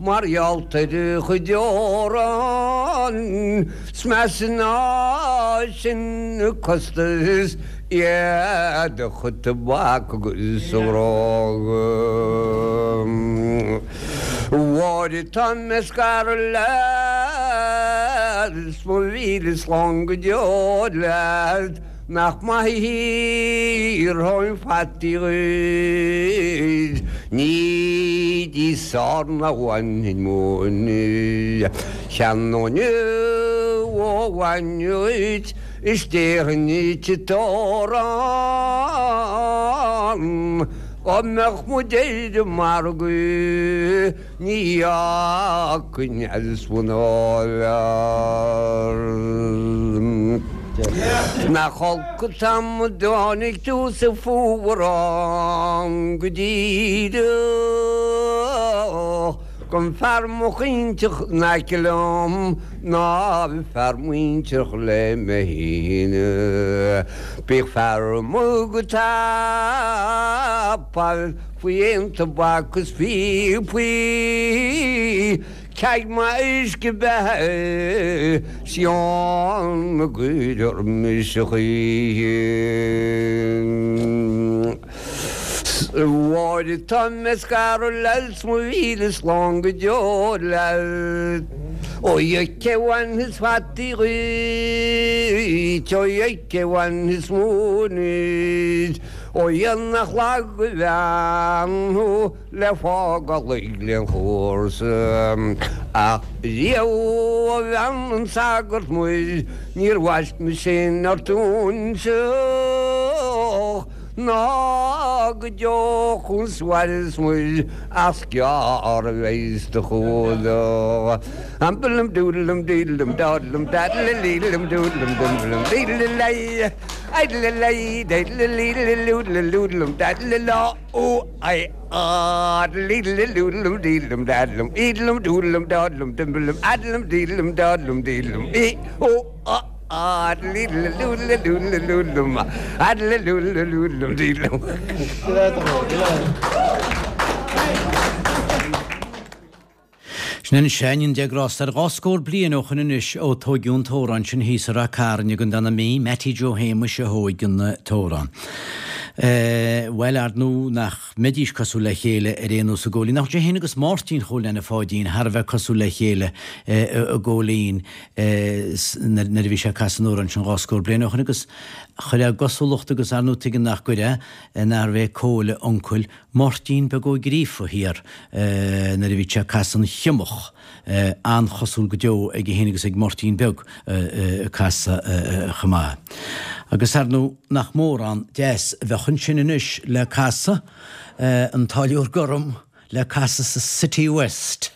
mar gheall ar a chuid arán, 's measa ná sin an costas. Iad a chuid tobac agus a bhróga. A Mháire tá mé ag scaradh leat 's mo mhíle slán go deo leat nach maith a thiúrfainn fataí dhuit ní díos ná bhainfinn móin cheannóinn ó bhainne dhuit Is déarfainn duit an t-arán Dá mbeadh muid ar an margadh ní fhágfainn as mnáibh Nach olc an t-am a dtáinig tú sa fuarán go díreach Gun fear mochainteach in aice liom ná fear muinteartha le mé féin. Bíodh fear amuigh go tapaidh faoi aon tobac is píopaí, ceaig maith uisce beatha 's deoin na gcuir orm mise choíche. A Mháire tá mé ag scaradh leat 's mo mhíle slán go deo leat. Ó a cé bhainfeas fataí dhuit, ó a cé bhainfeas móin dhuit, ó a nach lag a bhean thú le fágáil ag an chúrsa. Ach riamh a bhean an tsagairt muir níor bhaist mise aon ort unseach. Ná go deo chun soir is muir ach 's gearr a bheidh do chumhdach. Ambalam dúdalam dídalam dádalam dadalaleedalam dúdalam dumdalam dídalalai idalalaí daidalaleedalalúdalalúdalam daidalala ó ai á daleedalalúdalam dídalam dadalam ídalam dúdalam dádalam dimbalam adalam dídalam dádalam dídalam í ó á Sin anois é, go ndéana Dia grásta air dhá scór bliain ó shoin anois ó tóigeadh an t-amhrán sin thíos i Rath Cairn i gContae na Mí, Mattie Joe Shéamuis a thóig an t-amhrán. Bhuel, ar ndú nach mbeidís cosúil le chéile ar aon nós a Chóilín. Nach bhfuil sé féin agus Máirtín Chóil Anna Pháidín thar a bheith cosúil le chéile a Chóilín nuair a bhí sé ag casadh an amhráin sin dhá scór bliain ó shoin agus chuir a gcosúlacht agus ar ndú tuigeann nach gcuirfeá nárbh é Cóil a uncail Máirtín Beag Ó Gríofa thiar nuair a bhí sé ag casadh an Chiumach an-chosúil go deo aige féin agus ag Máirtín Beag ag casadh chomh maith. Agus ar ndú nach mórán deas a bheadh ansin anois le casadh, an Táilliúir Gorm le casadh sa City West.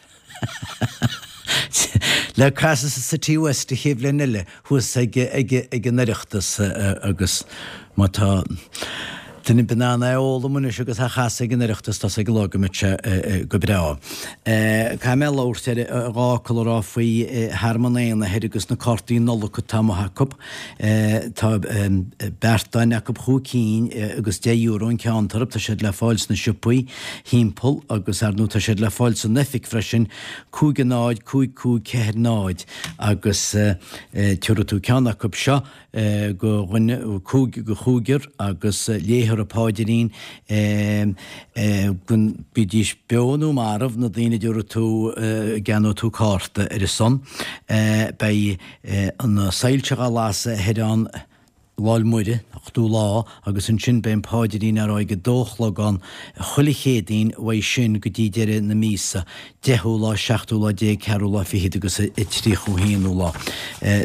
Le casadh sa City West an chéad bhliain eile thuas ag ag an Oireachtas agus má tá duine ar bith in ann é a fhoghlaim anois agus a chasadh ag an Oireachtas tá 's ag an lá go mbeidh sé go breá. Caithfidh mé labhairt ar dhá fhocal a rá faoi Thearmann Éanna thoir agus na cártaí Nollag atá amuigh acu. Tá beartáin acu chúig cinn agus deich euro an ceann orthu. Tá siad le fáil sna siopaí thimpeall agus ar ndú tá siad le fáil san oifig freisin, 5 0 5 5 4 0 agus tabharfaidh tú ceann acu seo go dhuine, cúig, go chúigear agus léifear an pháidrín go mbídís beo nó marbh, na daoine a dtabharfaidh tú, a gceannóidh tú cárta ar a son. Beidh na soilse dhá lasadh thoir ann Lá 'le Muire, ochtú lá, agus ansin beidh an paidrín á rá ag a dó a chlog ann chuile Chéadaoin uaidh sin go dtí deireadh na míosa, deichiú lá, seachtú lá déag, ceathrú lá fichead agus a tríochú haonú lá.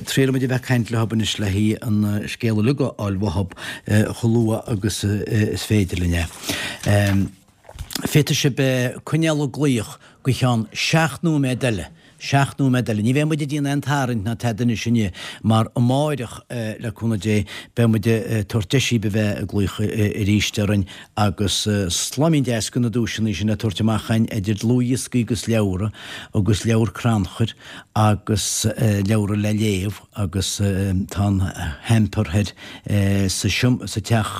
Triailfidh muid a bheith ag caint leothab anois le haghaidh an scéal uilig a fháil uathab chomh luath agus is féidir linn é. Féadfaidh sibh coinneáil ag glaoch go cheann seacht nóiméad eile. Seacht nóiméad eile. Ní bheidh muid ag déanamh aon tarraingt ná tada anois inniu, mar amáireach, le cúnamh Dé, beidh muid ag tabhairt deis daoibh a bheith ag glaoch arís orainn agus slaimín deas de na duaiseanna sin le tabhairt amach againn, idir dlúthdhioscaí agus leabhra, agus leabhar crannchuir agus leabhra le léamh agus tá an hamper thoir sa sa teach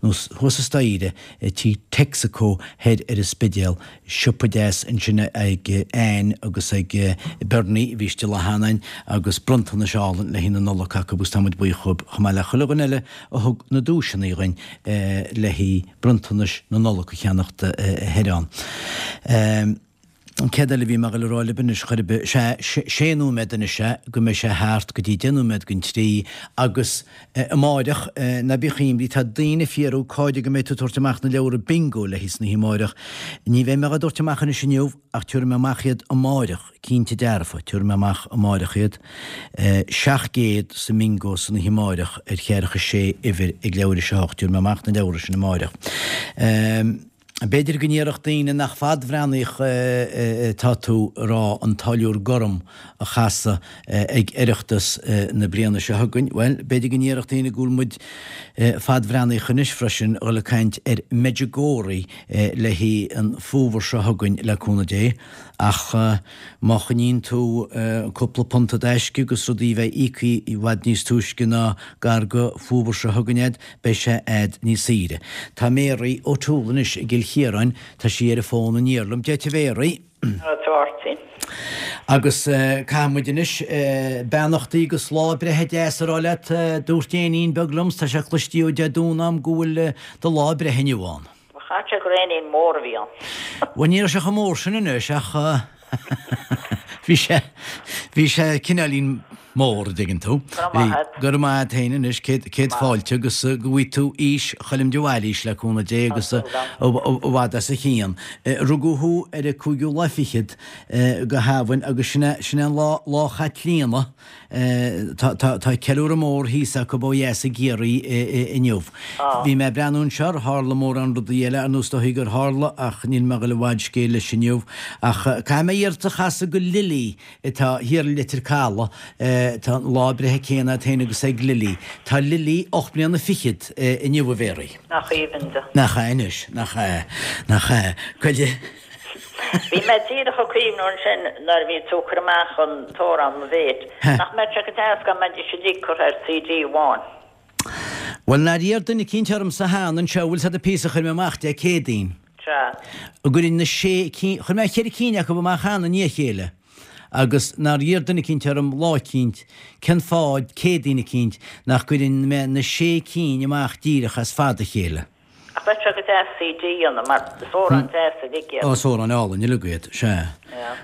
nó thuas an staighre i tí Texaco thoir ar an Spidéal. Siopa deas ansin ag Anne agus ag Bernie a bhí istigh lá cheana againn agus bronntanais álainn le haghaidh na Nollag acu agus tá muid buíoch dhóibh chomh maith le chuile dhuine eile a thug na duaiseanna dhuinn le haghaidh bronntanais na Nollag a cheannacht thoir ann. An céad eile a bhí mé ag dul a rá libh anois, chor ar bith, sea, sé nóiméad anois é go mbeidh sé thart go dtí deich nóiméad don trí agus amáireach, ná bíodh imní, tá daoine ag fiafraí cá fhad go mbeidh tú ag tabhairt amach na leabhra bingo le haghaidh san oíche amáireach. Ní bheidh mé á dtabhairt amach anois inniu ach tabharfaidh mé amach iad amáireach, cinnte dearfa, tabharfaidh mé amach amáireach iad. 700 sa mbingo san oíche amáireach ar cheathracha sé uimhir ag leathuair théis a hocht, tabharfaidh mé amach na leabhra sin amáireach. B'fhéidir go ndéarfadh daoine nach fadbhreathnaíoch atá tú a rá an Táilliúir Gorm a chasadh ag Oireachtas na bliana seo chugainn. Bhuel, b'fhéidir go ndéarfadh daoine go bhfuil muid fadbhreathnaíoch anois freisin a dhul ag caint ar Medjugorje le haghaidh an fómhar seo chugainn le cúnamh Dé. Ach má choinníonn tú cúpla punt i dtaisce agus rudaí a bheith íoctha i bhfad níos túisce ná gar go fómhar seo chugainn a'd, Beidh sé a'd níos saoire. Tá Mary O'Toole anois i gCill Chiaráin, tá sí ar an bhfón aniar liom. Dia duit a Mhary. Dia duit a Mháirtín. Agus caithfidh muid anois beannachtaí agus lá breithe deas a rá leat. Dúirt éinín beag liom, 's tá sé cloistí ó Dé Domhnaigh a'm go bhfuil do lá breithe inniu ann. Bhuel chaithfeadh sé gur éinín mór a bhí ann. Bhuel ní raibh sé chomh mór sin anois ach bhí sé, bhí sé cineáilín. Mór, a dtuigeann tú. Go raibh maith a't. Go raibh maith a't féin anois, céad fáilte agus go bhfaighidh tú aois Choilm de Bhailís le cúnamh Dé agus i bhfad as a chion. Rugadh thú ar an cúigiú lá fichead go hAmhain agus sin é sin é an lá Lá Chaitlíona. Tá tá tá ceiliúradh mór thíos acu ó dheas i gCiarraí inniu. Bhí mé ag breathnú anseo ar tharla mórán rudaí eile ar nós is dóichí gur tharla ach níl mé ag dul i bhfad scéil leis inniu. Ach caithfidh mé iarracht a chasadh go Lily atá thiar i Leitir Caladh. Tá an lá breithe céanna agat féin agus ag Lily. Tá Lily 8 mbliana fichead inniu, a Mhéaraí. Nach aoibhinn di. Nach ea anois, nach ea, nach ea. Goile. Bhí mé díreach ag cuimhniú ansin nuair a bhí tú ag cur amach an t-amhrán Mo Mhéit, nach mbeadh sé go deas dá mbeidís uilig curtha ar CD amháin. Bhuel, nár iarr duine eicínt ormsa cheana anseo, bhfuil 's a'd an píosa a chuir mé amach Dé Céadaoin. Sea. An gcuirfinn na sé cinn, chuir mé cheithre cinn acu amach cheana i ndiaidh a chéile, agus nár iarr duine eicínt orm lá eicínt, cén fáth, Céadaoin eicínt, nach gcuirfinn mé na sé cinn amach díreach as fad a chéile. Ach bheadh sé go deas CD a dhéanamh, mar is amhráin deasa uilig iad. Ó, is amhráin álainn uilig iad, sea.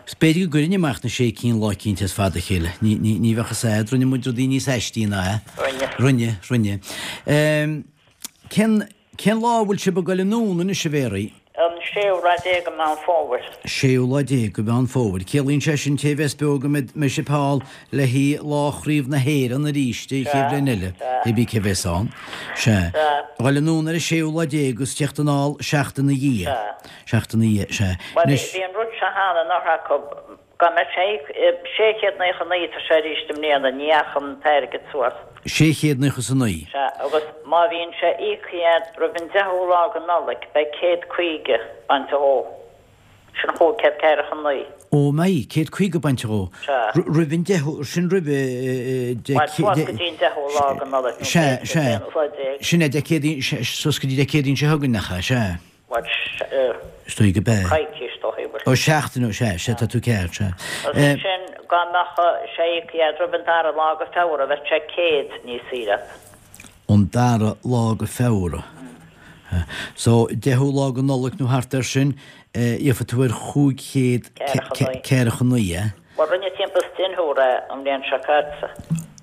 Is b'fhéidir go gcuirfinn amach na sé cinn lá eicínt as fad a chéile. Ní, ní, ní bheadh fhios a'd, rinne muid rudaí níos aistí ná é. Rinne. Rinne, rinne. Cén, cén lá a bhfuil sibh ag goil anonn anois, a Mhéaraí? An séú lá déag de Mheán Fómhair. Séú lá déag de Mheán Fómhair. Ciallaíonn sé sin té bheas beo go mbeidh sibh thall le haghaidh lá Chraobh na hÉireann arís an chéad bhliain eile, hé bí cé bheas ann. Sea. Dhul anonn ar an séú lá déag agus teacht anall seachtain ina dhiaidh. Seachtain ina dhiaidh, sea. Bhuel, bhí an rud seo cheana anuraidh acu. Dá mbeadh sé 699 tá sé arís i mbliana, ní dheachaigh an t-airgead suas. 699. Sea, agus má bhíonn sé íoctha a'd roimh an deichiú lá go Nollaig beidh 150 bainte dhó. Sin 549. Ó mbeidh, 150 bainte dhó. Sea. Roimh an deichiú, sin roimh Dé Bhuel, suas go dtí an deichiú lá go Nollaig nó Sea, b'fhéidir sea. an t-aonú lá déag. Sin é Dé Céadaoin, suas go dtí Dé Céadaoin seo chugainn, nach ea? Sea. Bhuel, Is dóigh go b'ea. coicís ó shin. Ó, seachtain ó, sea, sea, tá tú ceart, sea. Agus ansin, dá mbeadh sé íoctha a'd roimh an dara lá go Feabhra, bheadh sé 100 níos saoire a't. An dara lá go Feabhra. So, deichiú lá go Nollaig nó thart air sin, gheobhaidh tú ar 500 ceathracha naoi, eh? Bhuel, rinne timpeall is deichniúr é an bhliain seo caite.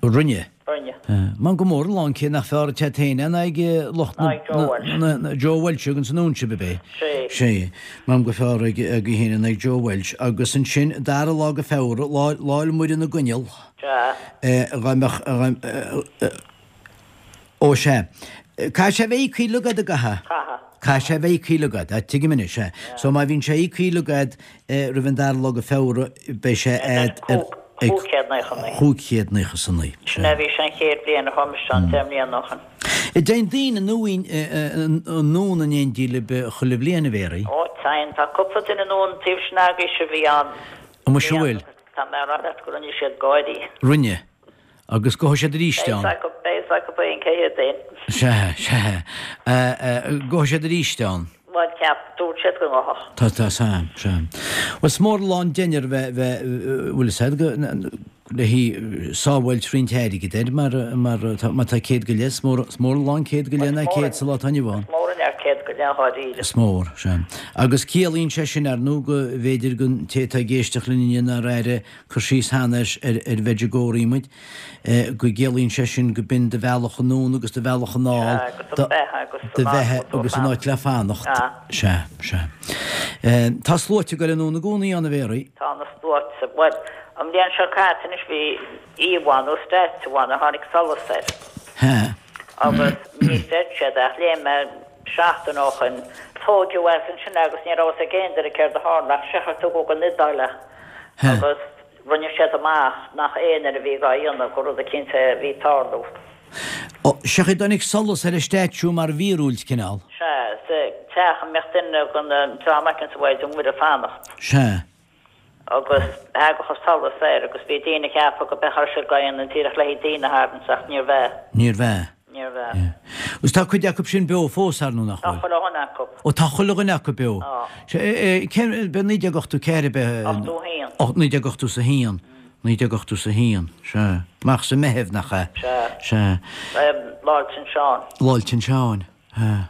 Rinne? Rinne. Measaim gur mór an lán cé nach fearr atá féin in aghaidh lucht na. Joe Walsh. Joe Walsh agus an Úinse, ab é? Sé. Sé. Measaim gur fearr agaibh féin in aghaidh Joe Walsh. Agus ansin, dara lá go Feabhra, lá, Lá 'le Muire na gCoinneal. Sea. Dá mbeadh, Ó sea. Caithfidh sé a bheith íoctha uilig a'd, an gcaithfidh? Caithfidh. Caithfidh sé a bheith íoctha uilig a'd. Tuigim anois, sea. So má bhíonn sé íoctha uilig a'd roimh an dara lá go Feabhra, beidh sé a'd ar. 599. 599. Sin é a bhí sé an chéad bhliain a chuaigh mise ann, deich mbliana ó shin. An dtéann daoine anonn in éindí libh chuile bhliain, a Mhéaraí? Ó, téann. Tá cúpla duine anonn an taobh sin agaibhse a bhí ann. Ó muise bhfuil? Tá mé a rá leat go rinne siad gáirí. Rinne. Agus gabhfaidh siad arís ann. Beidh fhios acu féin cé hiad féin. Sea, sea. Gabhfaidh siad arís ann. Bhuel, ceap, dúirt siad go ngabhfadh. Tá, tá, sea, sea. Bhuel, is mór an lán deichniúr bheith, bheith, bhfuil fhios a'd, go, le haghaidh sábháilt roinnt airgid air mar, mar, tá, má tá céad go leith, is mór, is mór an lán céad go leith ná céad sa lá atá inniu ann. Is mór an lear céad go leith dháiríre. Is mór, sea. Agus ciallaíonn sé sin, ar ndóigh, go mb'fhéidir don té atá ag éisteacht linn inniu nár airigh cur síos cheana ar ar Mhedjugorje muid, go gciallaíonn sé sin go b'in do bhealach anonn agus do bhealach anall, Sea, agus do bheatha agus do bheatha agus an áit le fanacht. Sea. Sea, sea. Tá sluaite ag goil anonn i gcónaí ann, a Mhéaraí. Tá na sluaite. Bhuel, an bhliain seo caite anois bhí íomhá nó statue ann ar tháinig solas air. Sea. Agus ní chreid siad ach léigh mé seachtain ó shoin, tóigeadh as ansin agus ní raibh fhios ag aon duine céard a tharla ach seachar tugadh go an Iodáil é agus rinne siad amach nach aon duine a bhí dhá dhéanamh gur rud eicínt é a bhí ag tarlú. Ó, sé an chaoi a dtáinig solas ar an statue mar mhíorúilt, cineál. Sea, sa teach a mbeadh duine den dream eicínt sa Mhaighdean Mhuire ag fanacht. Sea. Agus thagadh an solas air agus bhí daoine ag ceapadh go b'é a raibh siad dhá dhéanamh díreach le haghaidh daoine a tharraingt ach níorbh ea. Níorbh ea. Níorbh ea. Agus tá cuid acu sin beo fós, ar ndóigh, nach Tá bhfuil? chuile dhuine acu. Ó, tá chuile dhuine acu beo. Tá. Cén, b'é 1984 ab ea? 81. Ó, 1981. 1981, sea. Amach sa Meitheamh, nach ea? Sea. Sea. Lá 'le San Seán. Lá 'le San Seáin. Sea.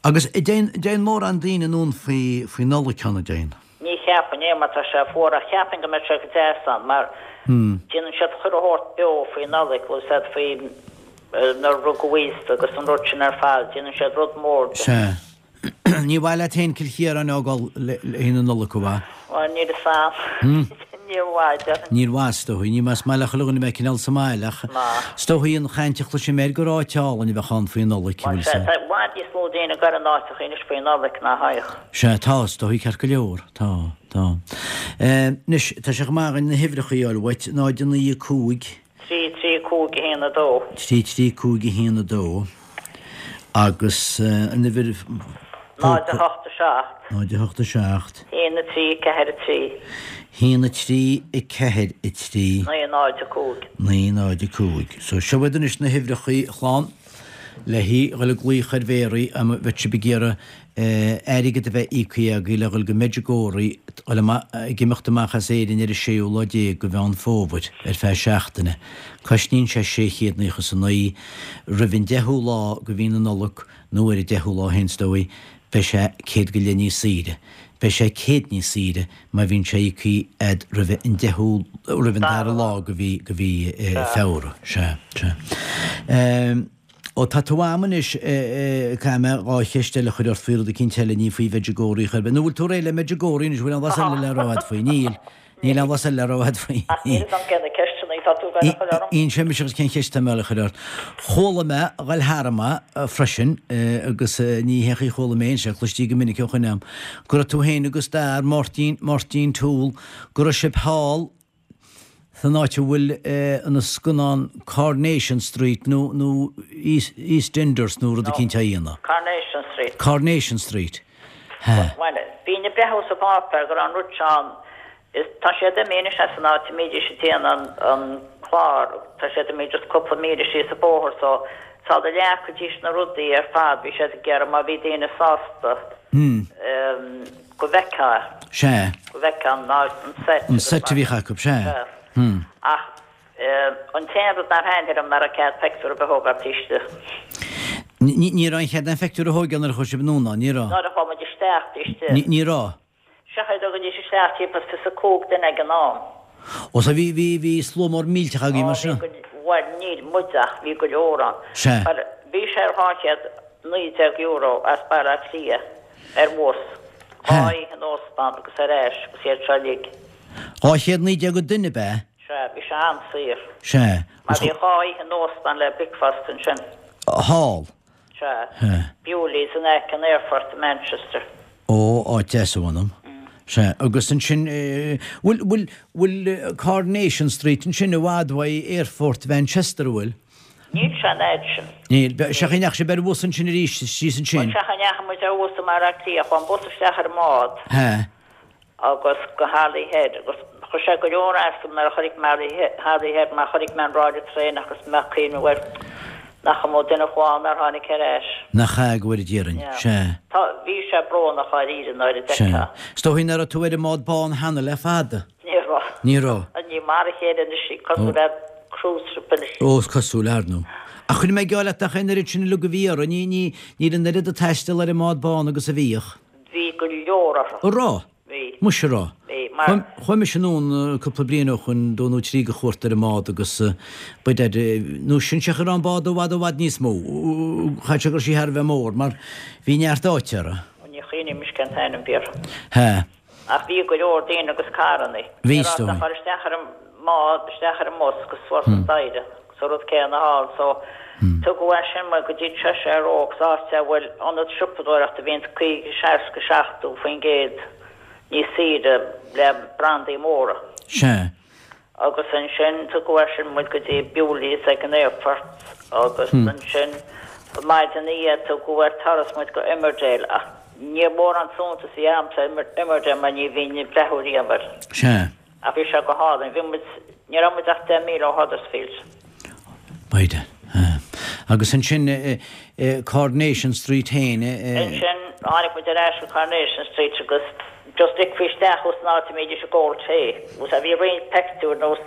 Agus an dtéann, dtéann mórán daoine anonn faoi, faoi Nollaig ann, an dtéann? Ní. cheapfainn é mar tá sé fuar ach cheapfainn go mbeadh sé go deas ann mar déanann siad chuile shórt beo faoi Nollaig, bhfuil 's a'd faoi nuair a rugadh Íosa agus an rud sin ar fad, déanann siad rud mór de. Sea. Ní mhaith leat féin Cill Chiaráin a fhágáil le haghaidh na Nollag, an mhaith? Bhuel, níl 'fhios a'm. Níor mhaith, déarfainn. Níor mhaith, is dóigh. Ní maith, is maith le chuile dhuine a bheith cineál sa mbaile ach is dóigh an chaint a chloisim air gur áit álainn a bheadh ann faoi Nollaig, an bhfuil 'fhios a'd. Tá i bhfad níos mó daoine ag goil ar na áiteacha anois faoi Nollaig ná a théadh. Sea, tá, is dóigh, ceart go leor. Tá, tá. Anois, tá sé chomh maith againn na huimhreacha a fháil uait, 0 9 5. 3 3 5 1 2. 3 3 5 1 2 Agus an uimhir 0 8 7. 0 8 7. 1 3 4 3. 1 3 4 3. 9 0 5. 9 0 5. So seo iad anois na huimhreacha a chlann le dhul ag glaoch ar Mhéaraí má bheadh sibh ag iarraidh airgead a bheith íoctha agaibh le dhul go Medjugorje, dhul amach, ag imeacht amach as Éirinn ar an séú lá déag de Mheán Fómhair ar feadh seachtaine. Cosnaíonn sé 699 roimh an deichiú lá de mhí na Nollag nó ar an deichiú lá féin is dóigh, beidh sé 100 go leith níos saoire. Beidh sé 100 níos saoire má bhíonn sé íoctha a'd roimh an deichiú, roimh an dara lá de mhí, de mhí Feabhra. Sea, sea. Ó tá tú a'm anois, caithfidh mé dhá cheist eile a chur ort faoi rud eicínt eile, ní faoi Mhedjugorje chor ar bith. Nó bhfuil tú réidh le Medjugorje anois, bhfuil aon bhlas eile le rá a'd faoi? Níl. Níl aon bhlas eile le rá a'd faoi. Ach níl 'fhios a'm cé na ceisteanna atá tú ag goil a chur orm. Inseoidh mise dhuit cén cheist atá mé a chur ort. Chuala mé a ghoil tharam freisin, agus ní haon chaoi a chuala mé é, sé cloistí go minic ó shoin a'm, go raibh tú féin agus d'fhear, Máirtín, Máirtín Toole, go raibh sibh thall, san áit a bhfuil an scannán Coronation Street nó nó EastEnders nó rud eicínt á dhéanamh. Coronation Street. Coronation Street. Hea. Bhuel, bhínn ag breathnú sa pháipéar go raibh an rud seo ann. Is tá siad imithe anois as an áit a mbídís ag déanamh an clár, tá siad imithe just cúpla míle síos an bóthar so sula leagfaidís na rudaí ar fad bhí siad ag iarraidh má bhí daoine sásta go bhfeicfeá. Sea. Go bhfeicfeá an áit, an seit. An seit a bhíodh acu, sea. Sea. Ach an t-aon rud nár thaitnigh liom ná raibh cead peictiúr ar bith a thógáil taobh istigh. Ní raibh aon chead aon pheictiúr a thógáil nuair a chuaigh sibh anonn ann, ní raibh? Nuair a chuaigh muid isteach taobh istigh. Ní raibh? Sea, thógaidís isteach timpeall is 25 duine ag an am. Ó, so bhí, bhí, bhí slua mór millteach agaibh mar sin? Ó, bhí go, bhuel, níl muid ach bhí go leor ann. Sea. Mar bhí sé ar €219 as Baile Átha Cliath. Ar bhus. Dhá oíche in óstán agus ar ais agus iad seo uilig. 219 an duine, ab ea? Sea, bhí sé an-saor. Sea. Mar bhí dhá oíche in óstán le bricfeasta ansin. Thall? Sea. Bewley's in aice an aerfoirt i Manchester. Ó, áit deas a mh'anam. Sea, agus ansin, bhfuil, bhfuil, bhfuil Coronation Street ansin i bhfad uaidh aerfort Mhanchester, an bhfuil? Níl sé an fhad sin. Níl. Sea, an ndeachaigh sibh ar bhus ansin arís, síos ansin? Bhuel, sea, cha ndeachaigh muid ar bhus i mBaile Átha Cliath, chuaigh an bus isteach ar an mbád. Hea. Agus go Holyhead, agus chuir sé go leor as dom nuair a chonaic mé Holyhead mar chonaic mé an ráille traenach agus mé ag cuimhneamh air nach iomaí duine a chuaigh ann nár tháinig ar ais. Nach ea, go bhfóire Dia orainn. Sea. Tá, bhí sé brónach dháiríre nuair a d'fheicfeá. Sea. Is dóigh nach raibh tú ar an mbád bán cheana le fada. Ní raibh. Ní raibh. Ní mar a chéile anois í, cosúil le cruise ship anois. Ó, is cosúil, ar ndóigh. Ach chuir mé geall leat nach é an oiread sin uilig a bhí orthu, ní, ní, níl an oiread ag taisteal ar an mbád bán agus a bhíodh. Bhí go leor orthu. An raibh? Bhí. Muise an raibh? Bhí, mar. Chuaigh mise anonn cúpla bliain ó shoin, dó nó trí de chuairt ar an mbád agus b'fhéidir, nó sin sé cha raibh an bád i bhfad i bhfad níos mó, chaithfeadh sé go raibh sí thar a bheith mór, mar bhí neart áite uirthi. Ní chuimhním anois cén t-ainm a bhí uirthi. Hea. Ach bhí go leor daoine agus carrannaí. Bhí, Ní raibh ach dul isteach ar an mbád, isteach ar an mbus agus suas an staighre. Agus an rud céanna thall. So, tugadh as sin muid go dtí Cheshire Oaks, áit a bhfuil ionad siopadóireachta a bhíonn 50, 60, 70% níos saoire le brandaí móra. Sea. Agus ansin tugadh as sin muid go dtí Bewley's ag an aerfort agus ansin maidin ina dhiaidh tugadh ar turas muid go Emmerdale ach ní mórán suntas a bhí a'msa Emmerdale mar ní bhínn ag breathnú riamh air. Sea. Ach bhí sé go hálainn. Bhí muid, ní raibh muid ach 10 míle ó Huddersfield. B'fhéidir. Agus ansin Coronation Street féin. Ansin tháinig muid ar ais go Coronation Street agus just ligfí isteach thú san áit a mbídís ag ól tae. Agus bhí roinnt peictiúir nós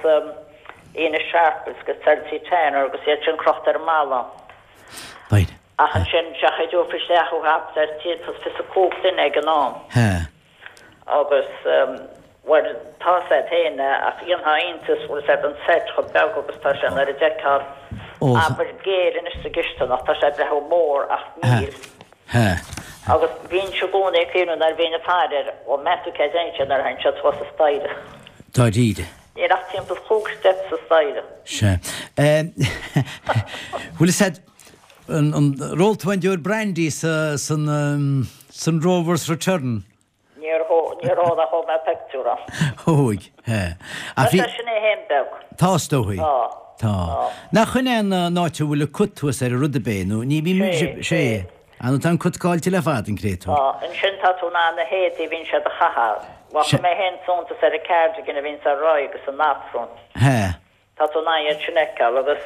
Ena Sharples agus Elsie Tanner agus iad sin crochta ar an mballa. B'fhéidir. Ach ansin seachadófaí isteach thú thart ar 125 duine ag an am. Hea. Agus, bhuel, tá 's a'd féin ach dhéanfá iontas, bhfuil 's a'd an seit chomh beag agus tá sé nuair a d'fheicfeá, abair, géar anois sa gcisteanach, tá sé ag breathnú mór ach níl. Agus bhínnse i gcónaí ag cuimhneamh nuair a bhínn ag faire air, ó meas tú cé dtéann sé nuair a théann siad suas an staighre. Dáiríre. Níl ach timpeall chúig step sa staighre. Sea. Bhfuil 'fhios a'd, an, ar ól tú aon deoir brandy sa, san, san Rover's Return? Níor níor ól ach thóg mé pictiúr ann. Thóg, he. Tá sé sin é fhéin beag. Tá, is dóigh. Tá. Tá. Nach shin é an áit a bhfuil an cut thuas ar an rud ab é, nó ní bhím, Sé, sé. Ah, nó tá an cut caillte le fada, an créatúr. Tá. Ansin tá tú in ann na héadaí a bhíonn siad a chaitheamh. Bhuel, chuir mé fhéin suntas ar an cardigan a bhíonns ar Roy agus an apron. He. Tá tú in ann iad sin a fheiceáil agus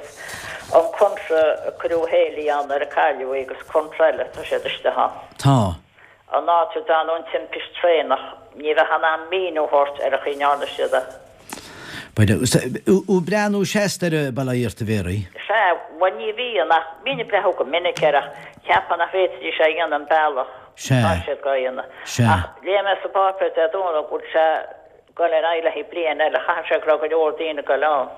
an coinnte a cuireadh Hayley ann nuair a cailleadh í agus coinnte eile, tá siad istigh ann. Tá. An áit a dtearnadh an timpist traenach, ní bheifeá in ann míniú a thabhairt ar an chaoi a ndearna siad é. Thú ag breathnú seasta ar Baile Átha Fhirdh a Mhéaraí? Sea, bhuel ní bhíonn ach bhínn ag breathnú go minic air ach cheapfá nach bhféadfaidís é a dhéanamh an bealach atá siad dhá dhéanamh. Sea. Ach léigh mé sa bpáipéar Dé Domhnaigh go bhfuil sé Dul ar aghaidh le haghaidh bliain eile. Chaithfeadh sé go raibh go leor daoine ag dul ann.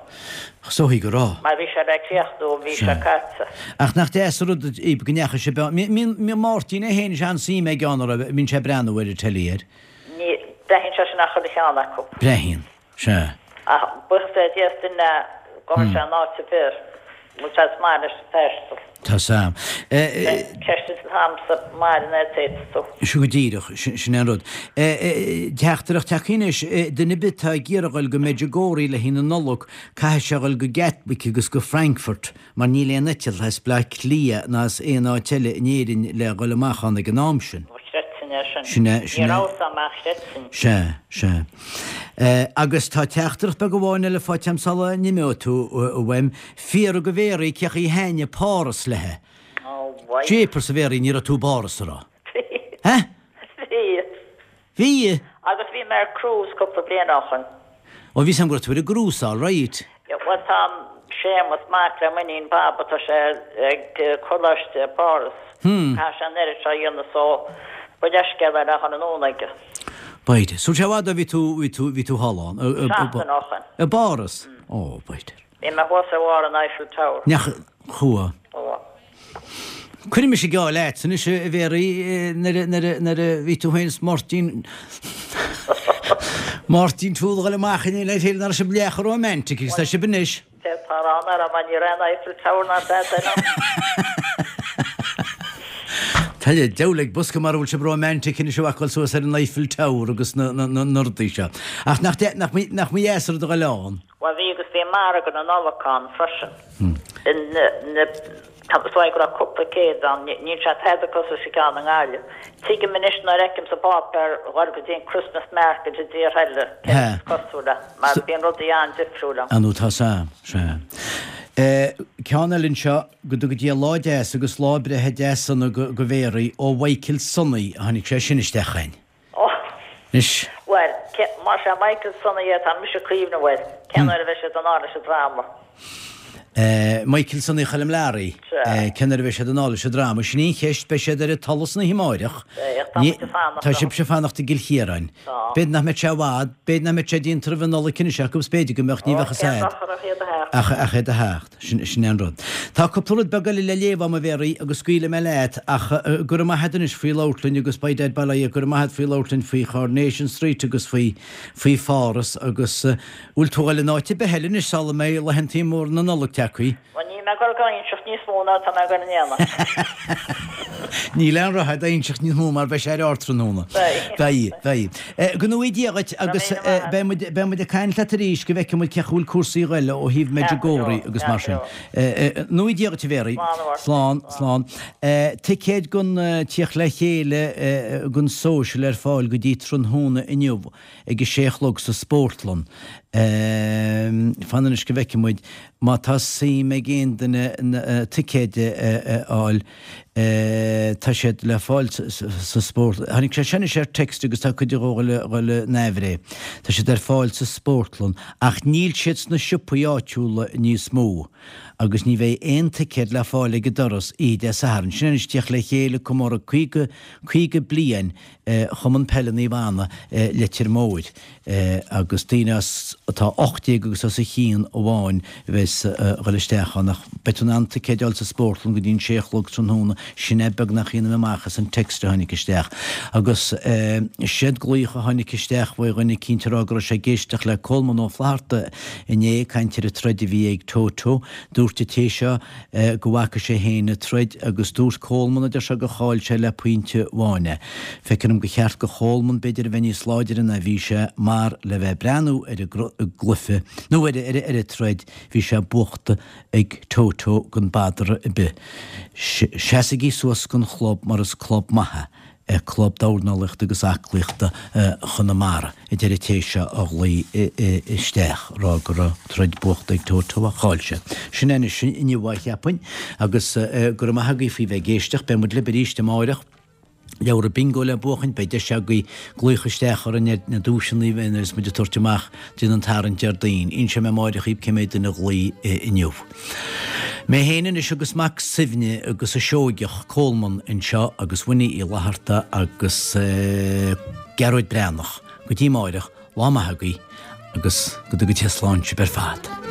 Is dóigh go raibh. Mar bhí sé le críochnú an mhí seo caite. Ach nach deas an rud é go ndeachaigh sibh ann. Mbíonn Máirtín é féin is an-suim aige ann, an raibh, mbíonn sé ag breathnú ar an telly air. Ní, breathnaíonn sé sin ar chuile cheann acu. Breathnaíonn, sea. Ach buíochas le Dia is duine go bhfuil sé in áit ar bith. Bhfuil sé is maith leis an taisteal. Tá Sam. Ceist an t-am sa mbaile an fhéadfadh tú. Sin go díreach, sin é an rud. Teachtaireacht tagtha anois, duine ar bith atá ag iarraidh dhul go Medjugorje le haghaidh na Nollag, caithfidh sé dhul go Gatwick agus go Frankfurt mar níl aon eitilt as Bleá Cliath ná as aon áit eile in Éirinn le dhul amach ann ag an am sin. Ó chreidfinn é sin. Sin é, sin Ní é. raibh 's a'm ach chreidfinn. Sea, sea. Agus tá teachtaireacht beag amháin eile faighte a'm sula n-imeoidh tú uaim. Fiafraigh de Mhéaraí cé chaoi a thaitnigh Páras léi. Ó, mhaith. Jeepers a Mhéaraí, ní raibh tú i bPáras, a raibh? Bhí. Hé? Bhí. Bhí? Agus bhí mé ar cruise cúpla bliain ó shoin. Ó, bhí 's a'm go raibh tú ar an gcrús, all right. Bhuel, tá Séamus, mac le m'iníon Baba, tá sé ag coláiste i bPáras. Caithfidh sé an oiread seo a dhéanamh so ba leithscéal é le dhul anonn aige. B'fhéidir. Sula i bhfad ó bhí tú, bhí tú, bhí tú thall ann. Seachtain ó shoin. I bPáras? Ó, b'fhéidir. Bhí mé thuas ar bharr an Eiffel Tower. Nach, chuaigh. Chuaigh. Cuirfidh mise geall leat anois a Mhéaraí nuair a, nuair a, nuair a bhí tú féin is Máirtín, Máirtín Toole a dhul amach in éineacht le chéile nach raibh sibh leath chomh romantic agus tá sibh anois. D'fhéadfá a rá nach raibh mar ní raibh an Eiffel Tower ná tada eile ann. Tá le deabhal ag bosca mara bhfuil sibh romantic anois a bhacáil suas ar an Eiffel Tower agus na, na, na, na rudaí seo. Ach nach, nach, nach mba dheas an rud a dhul ann? Bhuel bhí agus bhí margadh na Nollag ann freisin. Na, tá is dóigh go raibh cúpla céad ann, níl sé tada cosúil leis an gceann i nGaillimh. Tuigim anois nuair a fheicim sa bpáipéar dhul go dtí an Christmas market i dtíortha eile céard is cosúil le, mar bíonn rudaí an-difriúil ann. Ah nó tá sam, sea. Ceann eile anseo, go dtuga Dia lá deas agus lá breithe deas sona go Mhéaraí ó Mhichael Sonaí a tháinig sé sin isteach chugainn. Ó! Anois. Bhuel, cé, más é Michael Sonaí é, tá mise ag cuimhneamh air. Cén uair a bheidh siad anall leis an dráma? Eh, Michael Sonaí Choilm Learaí. Sea. Eh, cén uair a bheidh siad anall leis an dráma? Sin í an cheist, beidh siad ar an tsolas an oíche amáireach. Beidh, ach tá muid ag fanacht Tá orthu. sibhse ag fanacht i gCill Chiaráin. Tá. B'fhéidir nach mbeidh sé i bhfad, b'fhéidir nach mbeidh sé déanta roimh an Nollaig anois acu, is b'fhéidir go mbeadh, ní Ó, bheadh fhios cén a'd. dochar ach iad a theacht. Ach, ach iad a theacht. Sin, sin é an rud. Tá cúpla rud beag eile le léamh a'm a Mhéaraí agus scaoilfidh mé leat ach go raibh maith a'd anois faoi labhairt linn agus by dad bail ó Dhia go raibh maith a'd faoi labhairt linn faoi Choronation Street agus faoi, faoi Pháras agus bhfuil tú a dhul in áit ar bith eile anois sula mbeidh laethantaí móra na Nollag tagthaí? Bhuel níl mé ag dul ag inseacht níos mó ná tá mé ag dul a dhéanamh. Níl aon rogha a'd a inseacht níos mó mar beidh sé ar ardtráthnóna. Beidh. Beidh, beidh. Go ngnóthaí Dia dhuit agus beidh muid, beidh muid ag caint leat arís go bhfeicfidh muid cé chaoi bhfuil cúrsaí ag dul ó thaobh Medjugorje agus mar sin. Gnóthaí Dia dhuit a Mhéaraí. Slán, slán. Ticéid don tíocht le chéile don social ar fáil go dtí tráthnóna inniu ag a sé a chlog sa Spórtlann. Fan anois go bhfeicfidh muid má tá suim ag aon duine ticéid a fháil. Tá siad le fáil sa spórt. Tháinig sé sin anois ar text agus tá cuid a dhul in aimhréidh. Tá siad ar fáil sa spórtlann ach níl siad sna siopaí áitiúla níos mó agus ní bheidh aon ticéad le fáil ag an doras oíche Dé Sathairn. Sin anois tíocht le chéile comóradh 50, 50 bliain Chumann Peile Naomh Anna Leitir Móir. agus daoine as atá 18 agus os a chionn amháin a bheas a dhul isteach ann ach beidh tú in ann ticéid a fháil sa spórtlann go dtí an sé a chlog tráthnóna, sin é beagnach a dhéanaim amach as an text a tháinig isteach. Agus séard glaoch a tháinig isteach uaidh dhuine eicínt a rá go raibh sé ag éisteacht le Colman Ó Flatharta inné ag caint ar an troid a bhí ag Toto. Dúirt an té seo go bhfaca sé féin an troid agus dúirt Coleman a deir sé gur chaill sé le pointe amháin é. Feictear dom gur cheart go Choleman b'fhéidir a bheith níos láidire ná bhí sé mar le bheith ag breathnú ar an gcluiche nó ar ar an troid bhí sé buachta ag Toto gan badar ar bith. Seasaigí suas don chlub mar is club maith é. Club Dornálaíochta agus Aclaíochta Chonamara, a deir an té seo a ghlaoigh isteach, rá go raibh troid buachta ag Toto ach chaill sé. Sin é anois inniu a cheapfainn, agus go raibh maith agaibh faoi bheith ag éisteacht. Beidh muid libh arís amáireach. Leabhra Bingo le buachaint, beidh deis agaibh glaoch isteach orainn ar na duaiseanna a bheas muid ag tabhairt amach déanamh an tarraingt Déardaoin. Inseoidh mé amáireach dhaoibh cé mhéad duine a ghlaoigh inniu. Mé féin anois agus Mac Suibhne agus an Seoigeach, Coleman, anseo agus Winnie Uí Fhlatharta agus Gearóid Breathnach. Go dtí amáireach, lá maith agaibh agus go dtuga Dia slán sibh ar fad.